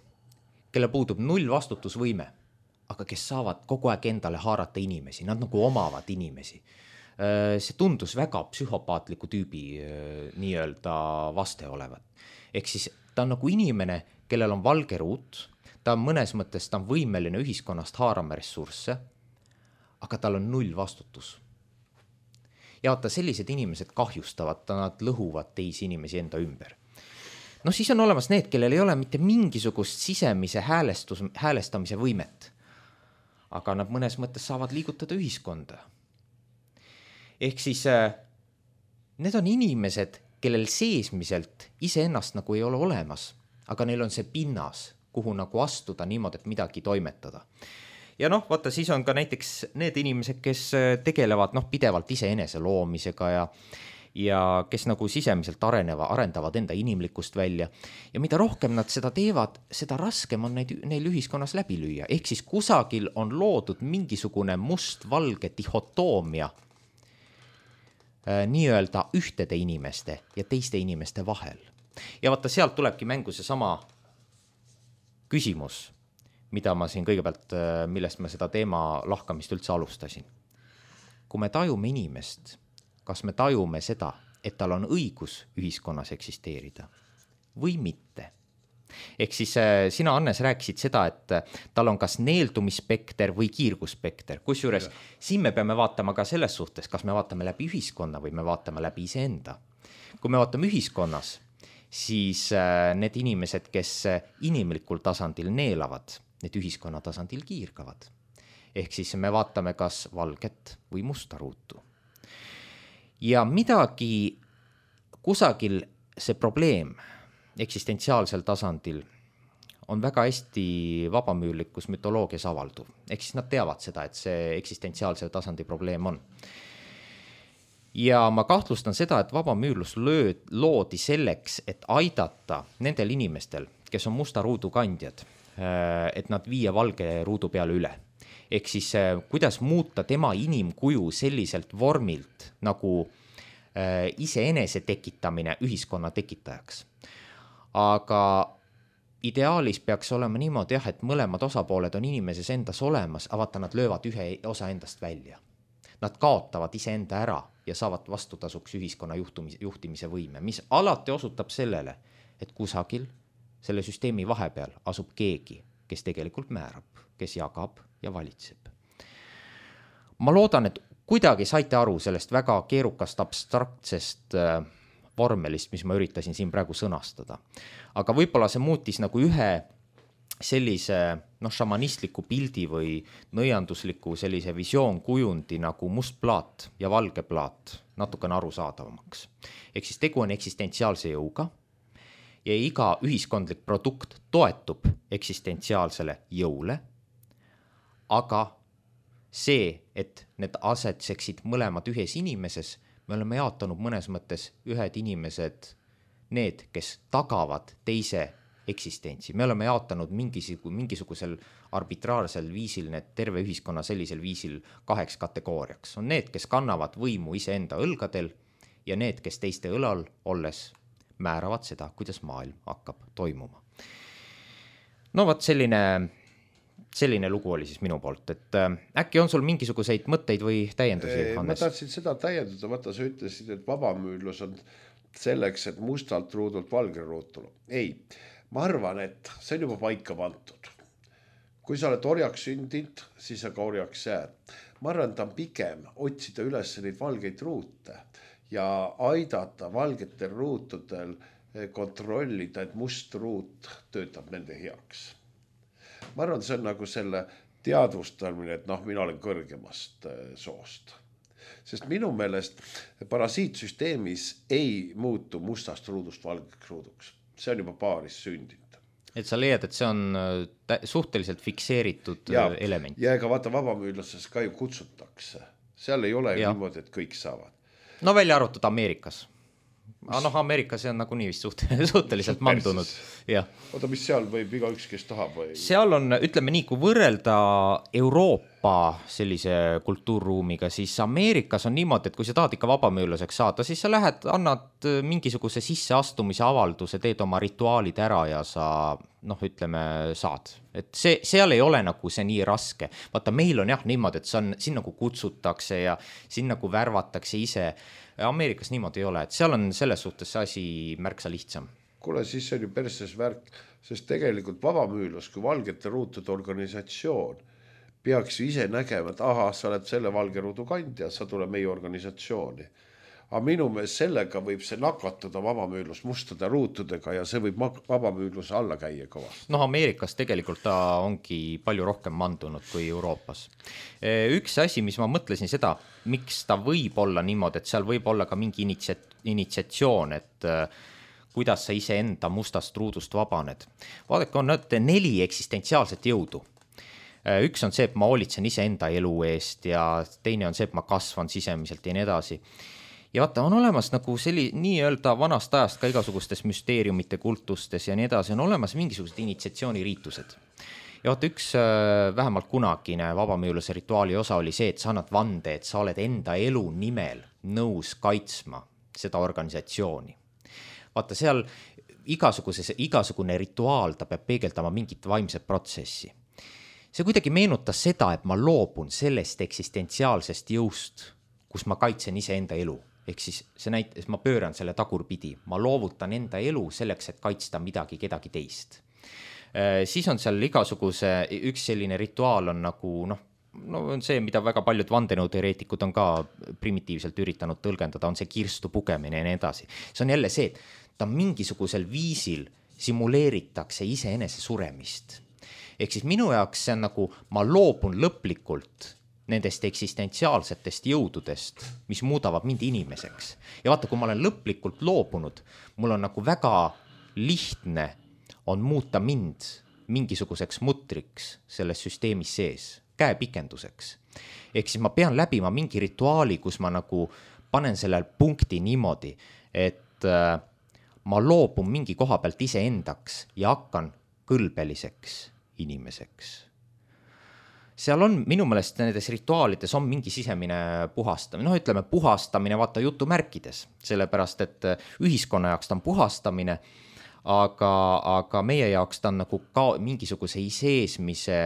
kelle puudub 0 vastutusvõime, aga kes saavad kogu aeg endale haarata inimesi, nad nagu omavad inimesi. See tundus väga psühhopaatliku tüübi nii-öelda vaste olevat. Ehk siis ta on nagu inimene, kellel on valge ruut, ta on mõnes mõttes, ta on võimeline ühiskonnast haarama ressursse, aga tal on 0 vastutus. Ja vaata, sellised inimesed kahjustavad, nad lõhuvad teisi inimesi enda ümber. No siis on olemas need, kellel ei ole mitte mingisugust sisemise häälestamise võimet, aga nad mõnes mõttes saavad liigutada ühiskonda. Ehk siis need on inimesed, kellel seesmiselt iseennast nagu ei ole olemas, aga neil on see pinnas, kuhu nagu astuda niimoodi, et midagi toimetada. Ja vaata, siis on ka näiteks need inimesed, kes tegelevad pidevalt iseenese loomisega ja kes nagu sisemiselt arendavad enda inimlikkust välja. Ja mida rohkem nad seda teevad, seda raskem on neil ühiskonnas läbi lüüa. Ehk siis kusagil on loodud mingisugune must-valge dihotoomia nii-öelda ühtede inimeste ja teiste inimeste vahel. Ja vaata, sealt tulebki mängu see sama küsimus, mida ma siin kõigepealt, millest ma seda teema lahkamist üldse alustasin. Kui me tajume inimest, kas me tajume seda, et tal on õigus ühiskonnas eksisteerida või mitte? Ehk siis sina, Annes, rääkisid seda, et tal on kas neeldumisspekter või kiirgusspekter. Kusjuures siin me peame vaatama ka selles suhtes, kas me vaatame läbi ühiskonna või me vaatame läbi iseenda. Kui me vaatame ühiskonnas, siis need inimesed, kes inimlikul tasandil neelavad, need ühiskonna tasandil kiirgavad. Ehk siis me vaatame kas valget või musta ruutu. Ja midagi kusagil see probleem eksistentsiaalsel tasandil on väga hästi vabamüürlikus mütoloogias avalduv. Ehk siis nad teavad seda, et see eksistentsiaalse tasandi probleem on. Ja ma kahtlustan seda, et vabamüürlus loodi selleks, et aidata nendel inimestel, kes on musta ruudu kandjad, et nad viia valge ruudu peale üle. Ehk siis kuidas muuta tema inimkuju selliselt vormilt nagu iseenese tekitamine ühiskonna tekitajaks. Aga ideaalis peaks olema niimoodi, et mõlemad osapooled on inimeses endas olemas, aga vaata, nad löövad ühe osa endast välja. Nad kaotavad iseenda ära ja saavad vastutasuks ühiskonna juhtimise võime, mis alati osutab sellele, et kusagil selle süsteemi vahepeal asub keegi, kes tegelikult määrab, kes jagab ja valitseb. Ma loodan, et kuidagi saite aru sellest väga keerukast abstraktsest vormelist, mis ma üritasin siin praegu sõnastada. Aga võib-olla see muutis nagu ühe sellise šamanistliku pildi või nõiandusliku sellise visioonkujundi nagu must plaat ja valge plaat natukene arusaadavamaks. Ehk siis tegu on eksistentsiaalse jõuga ja iga ühiskondlik produkt toetub eksistentsiaalsele jõule, aga see, et need asetseksid mõlemad ühes inimeses, me oleme jaotanud mõnes mõttes ühed inimesed, need, kes tagavad teise eksistentsi. Me oleme jaotanud mingisugusel arbitraarsel viisil need terve ühiskonna sellisel viisil 2 kategooriaks. On need, kes kannavad võimu iseenda õlgadel ja need, kes teiste õlal olles määravad seda, kuidas maailm hakkab toimuma. No vot, selline lugu oli siis minu poolt, et äkki on sul mingisuguseid mõtteid või täiendusi, Hannes? Ma tahtsin seda täiendada, vaata sa ütlesid, et vabamüürlus on selleks, et mustalt ruudult valge ruutulu. Ei, ma arvan, et see on juba paika pantud. Kui sa oled orjaks sündinud, siis sa ka orjaks jääd. Ma arvan, et on pigem otsida üles neid valgeid ruute ja aidata valgetel ruutudel kontrollida, et must ruut töötab nende heaks. Ma arvan, see on nagu selle teadvustamine, et mina olen kõrgemast soost. Sest minu meelest parasiitsüsteemis ei muutu mustast ruudust valgeks ruuduks. See on juba paaris sündinud. Et sa leiad, et see on suhteliselt fikseeritud element. Ja ega vaata vabamüürluses ka ju kutsutakse. Seal ei ole niimoodi, et kõik saavad. No välja arvatud Ameerikas. Ameerikas see on nagunii vist suhteliselt mandunud. Oota, mis seal võib igaüks, kes tahab või? Seal on, ütleme nii, kui võrrelda Euroopa sellise kultuurruumiga, siis Ameerikas on niimoodi, et kui sa tahad ikka vabamüürlaseks saada, siis sa lähed, annad mingisuguse sisseastumise avalduse, teed oma rituaalid ära ja sa ütleme, saad. Et seal ei ole nagu see nii raske. Vaata, meil on jah niimoodi, et siin nagu kutsutakse ja siin nagu värvatakse ise. Ameerikas niimoodi ei ole, et seal on selles suhtes see asi märksa lihtsam. Kuule, siis on ju perses värk, sest tegelikult vabamüürlus kui valgete ruutude organisatsioon peaks ju ise nägema, et sa oled selle valge ruudu kandja, sa tule meie organisatsiooni. Aga minu meelest sellega võib see nakatada vabamüürlus mustade ruutudega ja see võib vabamüürluse alla käia kõvasti. Ameerikas tegelikult ta ongi palju rohkem mandunud kui Euroopas. Üks asi, mis ma mõtlesin seda, miks ta võib olla niimoodi, et seal võib olla ka mingi initsiatsioon, et kuidas sa ise enda mustast ruudust vabaned. Vaadake, on 4 eksistentsiaalset jõudu. Üks on see, et ma hoolitsen ise enda elu eest ja teine on see, et ma kasvan sisemiselt ja nii edasi. Ja vaata, on olemas nagu nii-öelda vanast ajast ka igasugustes müsteeriumite kultustes ja nii edasi, on olemas mingisugused initsiatsiooniriitused. Ja vaata, üks vähemalt kunagine vabamüürluse rituaali osa oli see, et sa annad vande, et sa oled enda elu nimel nõus kaitsma seda organisatsiooni. Vaata, seal igasugune rituaal, ta peab peegeldama mingit vaimset protsessi. See kuidagi meenutas seda, et ma loobun sellest eksistentsiaalsest jõust, kus ma kaitsen ise enda elu. Ehk siis ma pööran selle tagurpidi, ma loovutan enda elu selleks, et kaitsta kedagi teist. Siis on seal üks selline rituaal on nagu, on see, mida väga paljud vandenõuteoreetikud on ka primitiivselt üritanud tõlgendada, on see kirstu pugemine ja nii edasi. See on jälle see, et ta mingisugusel viisil simuleeritakse iseenese suremist. Ehk siis minu jaoks see on nagu, ma loobun lõplikult nendest eksistentsiaalsetest jõududest, mis muudavad mind inimeseks. Ja vaata, kui ma olen lõplikult loobunud, mul on nagu väga lihtne on muuta mind mingisuguseks mutriks selles süsteemis sees, käepikenduseks. Ehk siis ma pean läbima mingi rituaali, kus ma nagu panen sellel punkti niimoodi, et ma loobun mingi koha pealt iseendaks ja hakkan kõlbeliseks inimeseks. Seal on minu meelest nendes rituaalides on mingi sisemine puhastamine, ütleme puhastamine vaata jutumärkides, sellepärast et ühiskonna jaoks ta on puhastamine, aga meie jaoks ta on nagu ka mingisuguse seesmise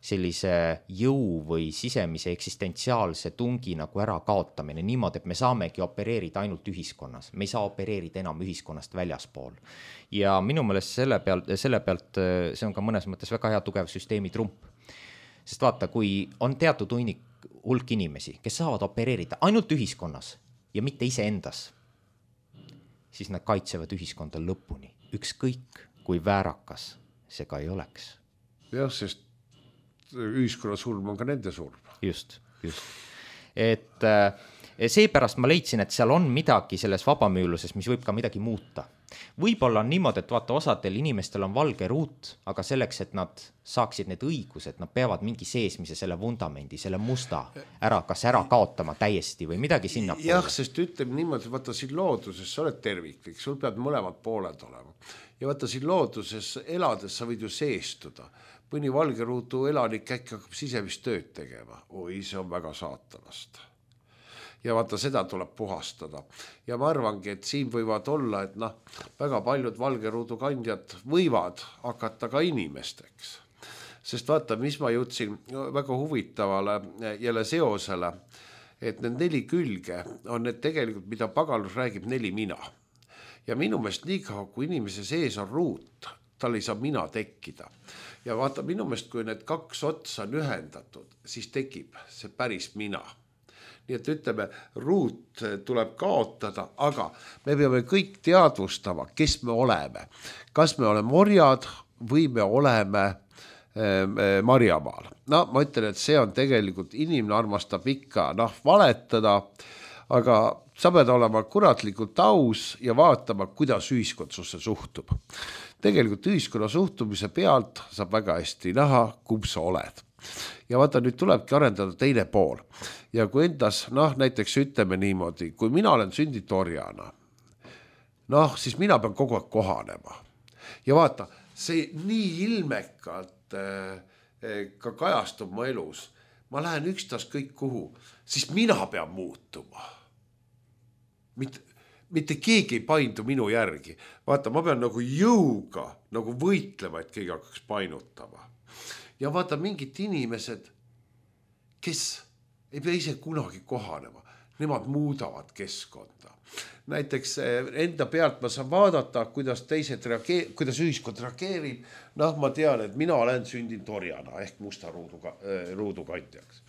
sellise jõu või sisemise eksistentsiaalse tungi nagu ära kaotamine niimoodi, et me saamegi opereerida ainult ühiskonnas, me ei saa opereerida enam ühiskonnast väljaspool. Ja minu meelest selle pealt see on ka mõnes mõttes väga hea tugev süsteemi trump. Sest vaata, kui on teatud hulk inimesi, kes saavad opereerida ainult ühiskonnas ja mitte iseendas, siis nad kaitsevad ühiskonda lõpuni. Ükskõik, kui väärakas see ka ei oleks. Jah, sest ühiskonna surm on ka nende surm. Just. Et seepärast ma leidsin, et seal on midagi selles vabamüürluses, mis võib ka midagi muuta. Võib-olla on niimoodi, et vaata, osadel inimestel on valge ruut, aga selleks, et nad saaksid need õigused, nad peavad mingi seesmise selle vundamendi, selle musta kas ära kaotama täiesti või midagi sinna. Jah, sest ütleme niimoodi, vaata siin looduses sa oled terviklik, sul peab mõlemad pooled olema. Ja vaata siin looduses elades sa võid ju seestuda. Mõni valge ruutu elanik äkki hakkab sisemist tööd tegema. Oi, see on väga saatanast. Ja vaata, seda tuleb puhastada. Ja ma arvangi, et siin võivad olla, et väga paljud valge ruudu kandjad võivad hakata ka inimesteks. Sest vaata, mis ma jõudsin väga huvitavale jälle seosele, et need 4 külge on need tegelikult, mida pagalus räägib 4 mina. Ja minu meelest nii kaua, kui inimese sees on ruut, tal ei saa mina tekkida. Ja vaata, minu meelest, kui need 2 otsa on ühendatud, siis tekib see päris mina. Nii et ütleme, ruut tuleb kaotada, aga me peame kõik teadvustama, kes me oleme. Kas me oleme orjad või me oleme Marjamaal. Ma ütlen, et see on tegelikult, inimene armastab ikka valetada, aga sa pead olema kuratlikult aus ja vaatama, kuidas ühiskond susse suhtub. Tegelikult ühiskonna suhtumise pealt saab väga hästi näha, kumb sa oled. Ja vaata, nüüd tulebki arendada teine pool. Ja kui endas, näiteks ütleme niimoodi, kui mina olen sündinud orjana, noh, siis mina pean kogu aeg kohanema. Ja vaata, see nii ilmekalt ka kajastub mu elus. Ma lähen ükstas kõik kuhu, siis mina pean muutuma. Mitte keegi ei paindu minu järgi. Vaata, ma pean nagu jõuga nagu võitlema, et keegi hakkaks painutama. Ja vaata, mingid inimesed, kes ei pea ise kunagi kohanema, nemad muudavad keskkonda. Näiteks enda pealt ma saan vaadata, kuidas kuidas ühiskond reageerib. Noh, ma tean, et mina olen sündinud orjana ehk musta ruudu kandjaks.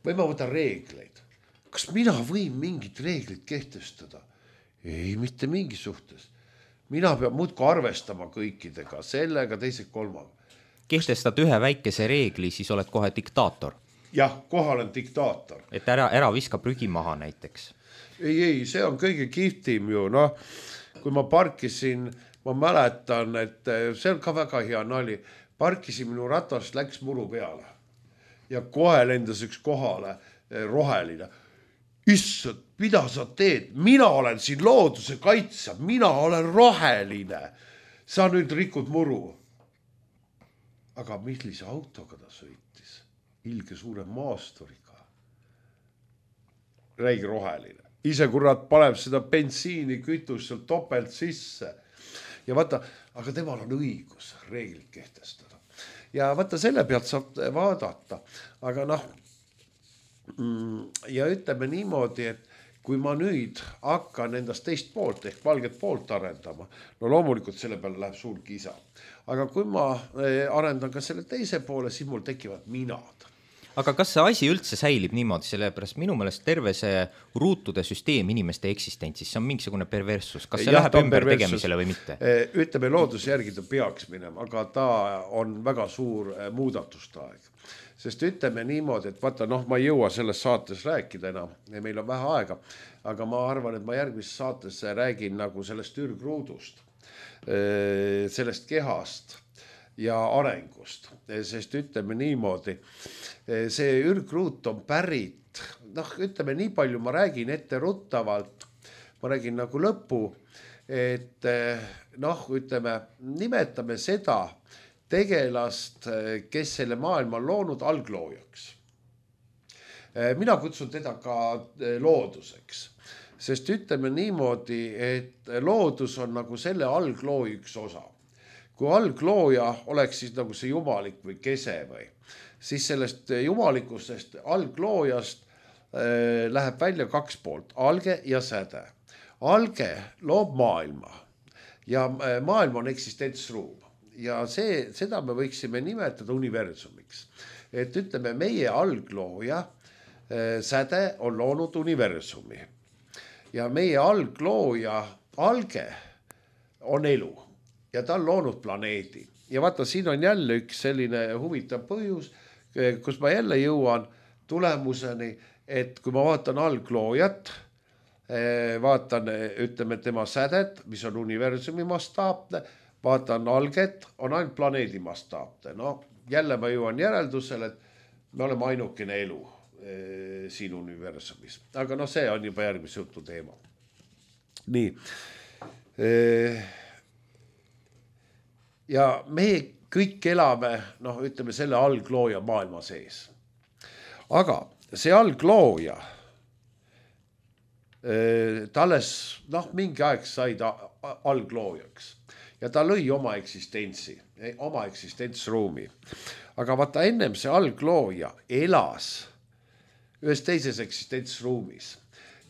Või ma võtan reegleid. Kas mina võin mingit reeglit kehtestada? Ei, mitte mingi suhtes. Mina pean muudku arvestama kõikidega, sellega, teised kolmaga. Kehtestad ühe väikese reegli, siis oled kohe diktaator. Jah, kohal on diktaator. Et ära viska prügi maha näiteks. Ei, see on kõige kihvtim ju, noh, kui ma parkisin, ma mäletan, et see on ka väga hea nali, parkisin minu ratast, läks muru peale ja kohe lendas üks kohale roheline. Issand, mida sa teed? Mina olen siin looduse kaitsja, mina olen roheline. Sa nüüd rikud muru. Aga millise autoga ta sõitis? Ilge suure maasturiga. Räigi roheline. Ise kurat paneb seda bensiini, kütust seal topelt sisse. Ja vaata, aga temal on õigus reeglid kehtestada. Ja vaata, selle pealt saab vaadata. Aga noh, ja ütleme niimoodi, et kui ma nüüd hakkan endast teist poolt ehk valget poolt arendama, no loomulikult selle peale läheb suur kisa. Aga kui ma arendan ka selle teise poole, siis mul tekivad minad. Aga kas see asi üldse säilib niimoodi, sellepärast minu meelest terve see ruutude süsteem inimeste eksistentsis, see on mingisugune perversus, kas see läheb ümber tegemisele või mitte? Ütleme, looduse järgi ta peaks minema, aga ta on väga suur muudatustaeg. Sest ütleme niimoodi, et vaata, noh, ma ei jõua selles saates rääkida enam, meil on vähe aega, aga ma arvan, et ma järgmises saates räägin nagu sellest ürgruudust, sellest kehast ja arengust, sest ütleme niimoodi, see ürgruut on pärit, noh, ütleme nii palju, ma räägin ette ruttavalt, ma räägin nagu lõpu, et noh, ütleme, nimetame seda tegelast, kes selle maailma on loonud algloojaks. Mina kutsun teda ka looduseks, sest ütleme niimoodi, et loodus on nagu selle algloo üks osa. Kui alglooja oleks siis nagu see jumalik või kese või, siis sellest jumalikustest algloojast läheb välja kaks poolt, alge ja säde. Alge loob maailma ja maailm on eksistentsruum ja seda me võiksime nimetada universumiks. Et ütleme, meie alglooja säde on loonud universumi ja meie alglooja alge on elu. Ja ta on loonud planeedi. Ja vaata, siin on jälle üks selline huvitav põhjus, kus ma jälle jõuan tulemuseni, et kui ma vaatan algloojat, vaatan, ütleme, tema sädet, mis on universumi mastaapne, vaatan alget, on ainult planeedi mastaapne. No, jälle ma jõuan järeldusele, et me oleme ainukene elu siin universumis. Aga no see on juba järgmise jutu teema. Nii. Ja me kõik elame, noh, ütleme selle alglooja maailma sees. Aga see alglooja, ta alles, noh, mingi aeg sai ta algloojaks ja ta lõi oma eksistentsi, oma eksistentsruumi. Aga vaata, ennem see alglooja elas ühes teises eksistentsruumis.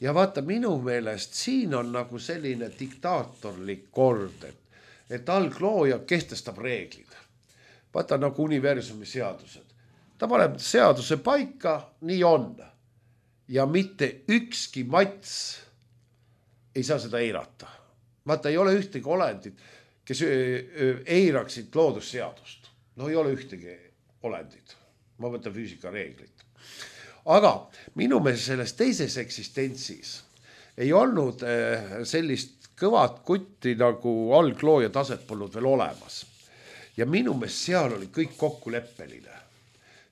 Ja vaata, minu meelest siin on nagu selline diktaatorlik kord, et alglooja kehtestab reeglid. Vaata nagu universumi seadused. Ta paneb seaduse paika, nii on. Ja mitte ükski mats ei saa seda eirata. Vaata, ei ole ühtegi olendit, kes eiraksid loodusseadust. No ei ole ühtegi olendit. Ma võtan füüsika reeglit. Aga minu meelest selles teises eksistentsis ei olnud sellist kõvad kutti nagu alglooja taset polnud veel olemas. Ja minu meelest seal oli kõik kokkuleppeline.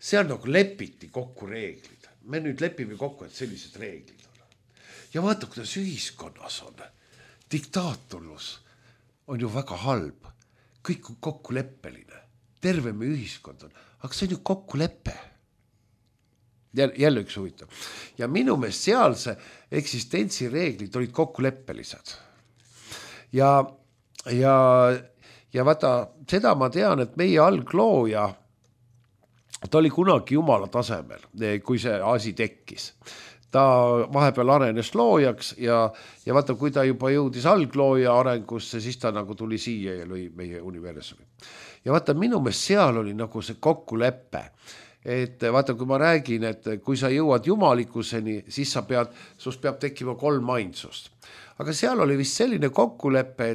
Seal nagu lepiti kokku reeglid. Me nüüd lepime kokku, et sellised reeglid on. Ja vaata, kuidas ühiskonnas on. diktaatorlus on ju väga halb, kõik on kokkuleppeline, terve me ühiskond on, aga see on ju kokkulepe. Jälle üks huvitav. Ja minu meelest sealse eksistentsireeglid olid kokkuleppelised. Ja vaata, seda ma tean, et meie alglooja, ta oli kunagi jumala tasemel, kui see asi tekkis. Ta vahepeal arenes loojaks ja vaata, kui ta juba jõudis alglooja arengusse, siis ta nagu tuli siia ja lõi meie universumi. Ja vaata, minu meelest seal oli nagu see kokkulepe, et vaata, kui ma räägin, et kui sa jõuad jumalikkuseni, siis sus peab tekkima 3 ainsust. Aga seal oli vist selline kokkulepe,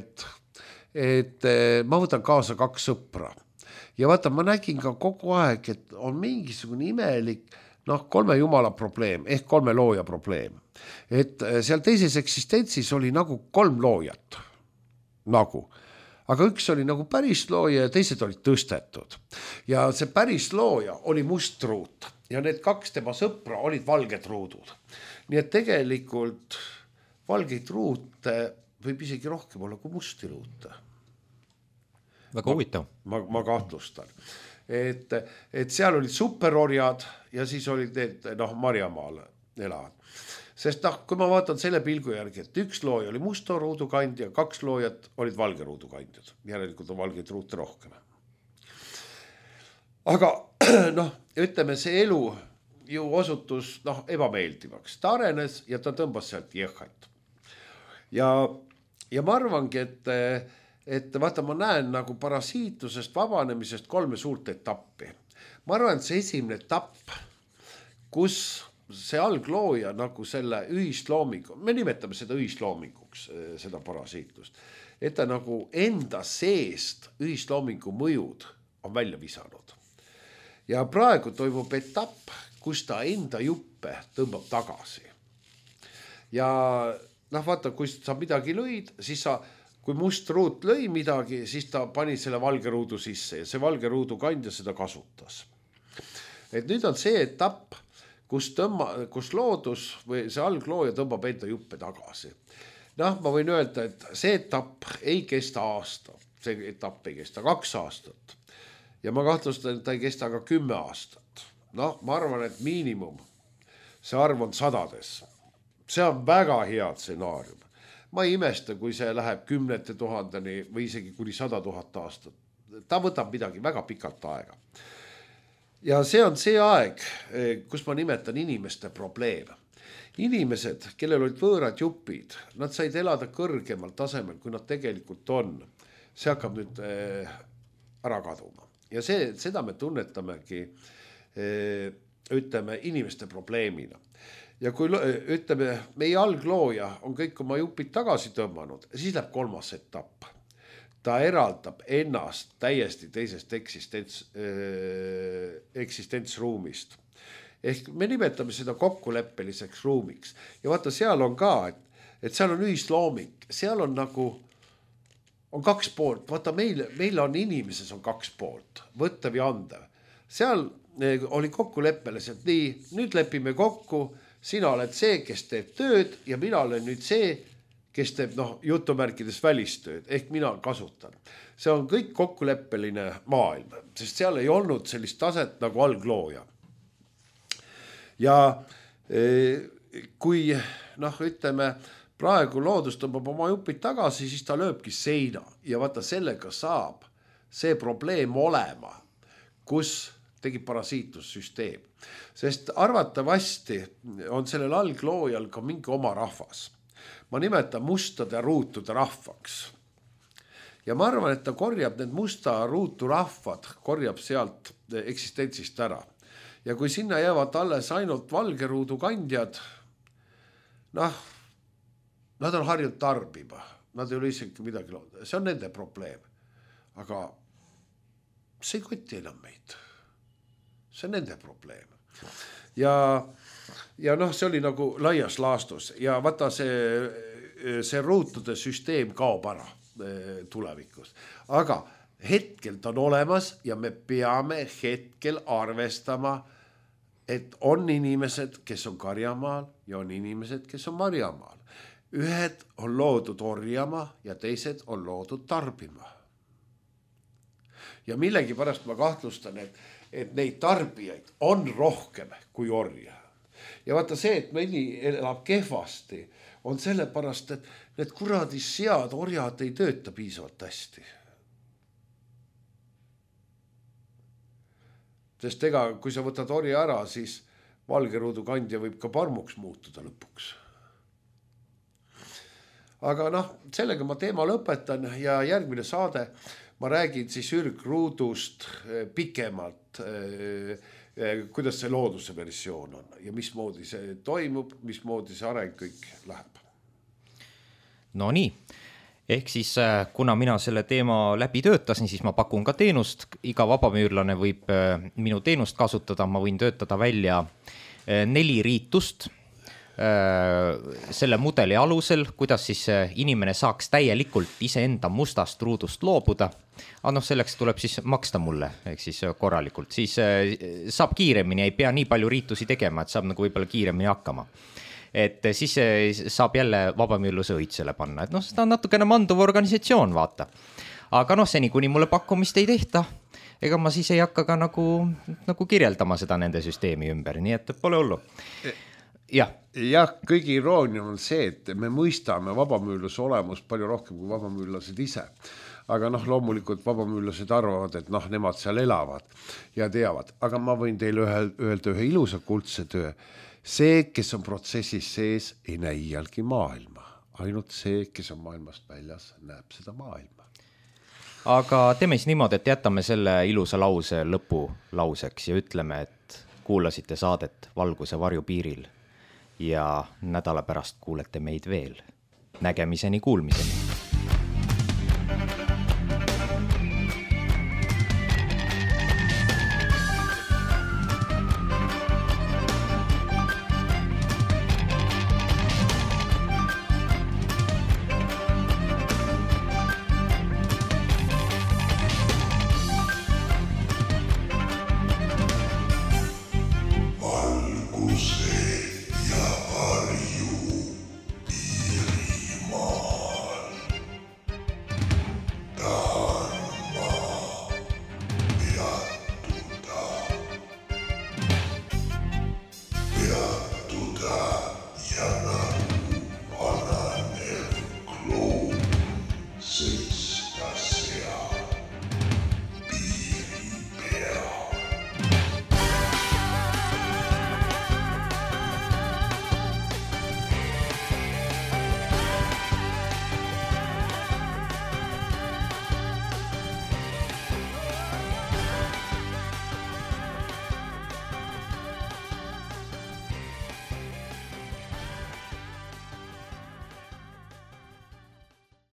et ma võtan kaasa 2 sõpra. Ja vaata, ma nägin ka kogu aeg, et on mingisugune imelik 3 jumala probleem, ehk 3 looja probleem. Et seal teises eksistentsis oli nagu 3 loojat. Aga üks oli nagu päris looja ja teised olid tõstetud. Ja see päris looja oli must ruut ja need 2 tema sõpra olid valged ruudud. Nii et tegelikult valgeid ruute võib isegi rohkem olla kui musti ruute. Väga huvitav. Ma kahtlustan. Et seal olid superorjad ja siis olid need Marjamaal elavad. Sest kui ma vaatan selle pilgu järgi, et 1 looja oli musta ruudukandja, 2 loojat olid valge ruudukandjad. Järelikult on valgeid ruute rohkem. Aga ütleme, see elu ju osutus ebameeldivaks. Ta arenes ja ta tõmbas sealt jehhat. Ja ma arvangi, et vaata, ma näen nagu parasiitusest vabanemisest 3 suurt etappi. Ma arvan, et see esimene etapp, kus see alglooja nagu selle ühisloomingu, me nimetame seda ühisloominguks, seda parasiitlust, et ta nagu enda seest ühisloomingu mõjud on välja visanud. Ja praegu toimub etapp, kus ta enda juppe tõmbab tagasi. Ja vaata, kui sa midagi lõid, siis kui must ruut lõi midagi, siis ta pani selle valge ruudu sisse ja see valge ruudu kandja seda kasutas. Et nüüd on see etapp, kus loodus või see alglooja tõmbab enda juppe tagasi. Ma võin öelda, et see etapp ei kesta aasta, see etapp ei kesta 2 aastat ja ma kahtlustan, et ta ei kesta ka 10 aastat. Ma arvan, et miinimum see arv on 100-des. See on väga hea stsenaarium. Ma ei imesta, kui see läheb 10 000-ni või isegi kuni 100 000 aastat. Ta võtab midagi väga pikalt aega. Ja see on see aeg, kus ma nimetan inimeste probleeme. Inimesed, kellel olid võõrad jupid, nad said elada kõrgemal tasemel, kui nad tegelikult on. See hakkab nüüd ära kaduma. Ja seda me tunnetamegi, ütleme, inimeste probleemina. Ja kui ütleme, meie alglooja on kõik oma jupid tagasi tõmmanud, siis läheb 3. etapp. Ta eraldab ennast täiesti teisest eksistentsruumist. Ehk me nimetame seda kokkuleppeliseks ruumiks. Ja vaata, seal on ka, et seal on ühislooming. Seal on nagu, on 2 poolt. Vaata, meil on inimeses on 2 poolt. Võttav ja andev. Seal oli kokkuleppeliselt nii, nüüd lepime kokku, sina oled see, kes teeb tööd ja mina olen nüüd see, kes teeb jutumärkides välistööd, ehk mina kasutan. See on kõik kokkuleppeline maailm, sest seal ei olnud sellist taset nagu alglooja. Ja kui ütleme, praegu loodus tõmbab oma jupid tagasi, siis ta lööbki seina ja vaata, sellega saab see probleem olema, kus tegi parasiitussüsteem. Sest arvatavasti on sellel algloojal ka mingi oma rahvas. Ma nimetan mustade ruutude rahvaks. Ja ma arvan, et ta korjab need musta ruutu rahvad, korjab sealt eksistentsist ära. Ja kui sinna jäävad alles ainult valge ruudu kandjad, nad on harjunud tarbima. Nad ei ole isegi midagi loodud. See on nende probleem. Aga see ei koti enam meid. See on nende probleem. Ja see oli nagu laias laastus ja vaata see ruutude süsteem kaob ära tulevikus. Aga hetkel ta on olemas ja me peame hetkel arvestama, et on inimesed, kes on Karjamaal ja on inimesed, kes on Marjamaal. ühed on loodud orjama ja teised on loodud tarbima. Ja millegipärast ma kahtlustan, et neid tarbijaid on rohkem kui orja. Ja vaata see, et mõni elab kehvasti, on sellepärast, et need kuradi sead orjad ei tööta piisavalt hästi. Sest ega, kui sa võtad orja ära, siis valgeruudu kandja võib ka parmuks muutuda lõpuks. Aga sellega ma teema lõpetan ja järgmine saade ma räägin siis ürgruudust pikemalt, kuidas see looduse versioon on ja mismoodi see toimub, mismoodi see areng kõik läheb. No nii, ehk siis kuna mina selle teema läbi töötasin, siis ma pakun ka teenust, iga vabamüürlane võib minu teenust kasutada, ma võin töötada välja 4 riitust selle mudeli alusel, kuidas siis inimene saaks täielikult iseenda mustast ruudust loobuda. Aga selleks tuleb siis maksta mulle, ehk siis korralikult. Siis saab kiiremini, ei pea nii palju riitusi tegema, et saab nagu võib-olla kiiremini hakkama. Et siis saab jälle vabamüürluse õitsele panna. Et seda on natukene manduv organisatsioon, vaata. Aga seni, kuni mulle pakkumist ei tehta, ega ma siis ei hakka ka nagu kirjeldama seda nende süsteemi ümber, nii et pole hullu. Jah, kõige iroonia on see, et me mõistame vabamüürluse olemust palju rohkem kui vabamüürlased ise. Aga loomulikult vabamüürlased arvavad, et nemad seal elavad ja teavad. Aga ma võin teile öelda ühe ilusa kuldse töö. See, kes on protsessis sees, ei näe iialgi maailma. Ainult see, kes on maailmast väljas, näeb seda maailma. Aga teeme siis niimoodi, et jätame selle ilusa lause lõpulauseks ja ütleme, et kuulasite saadet Valguse varjupiiril ja nädala pärast kuulete meid veel. Nägemiseni, kuulmiseni.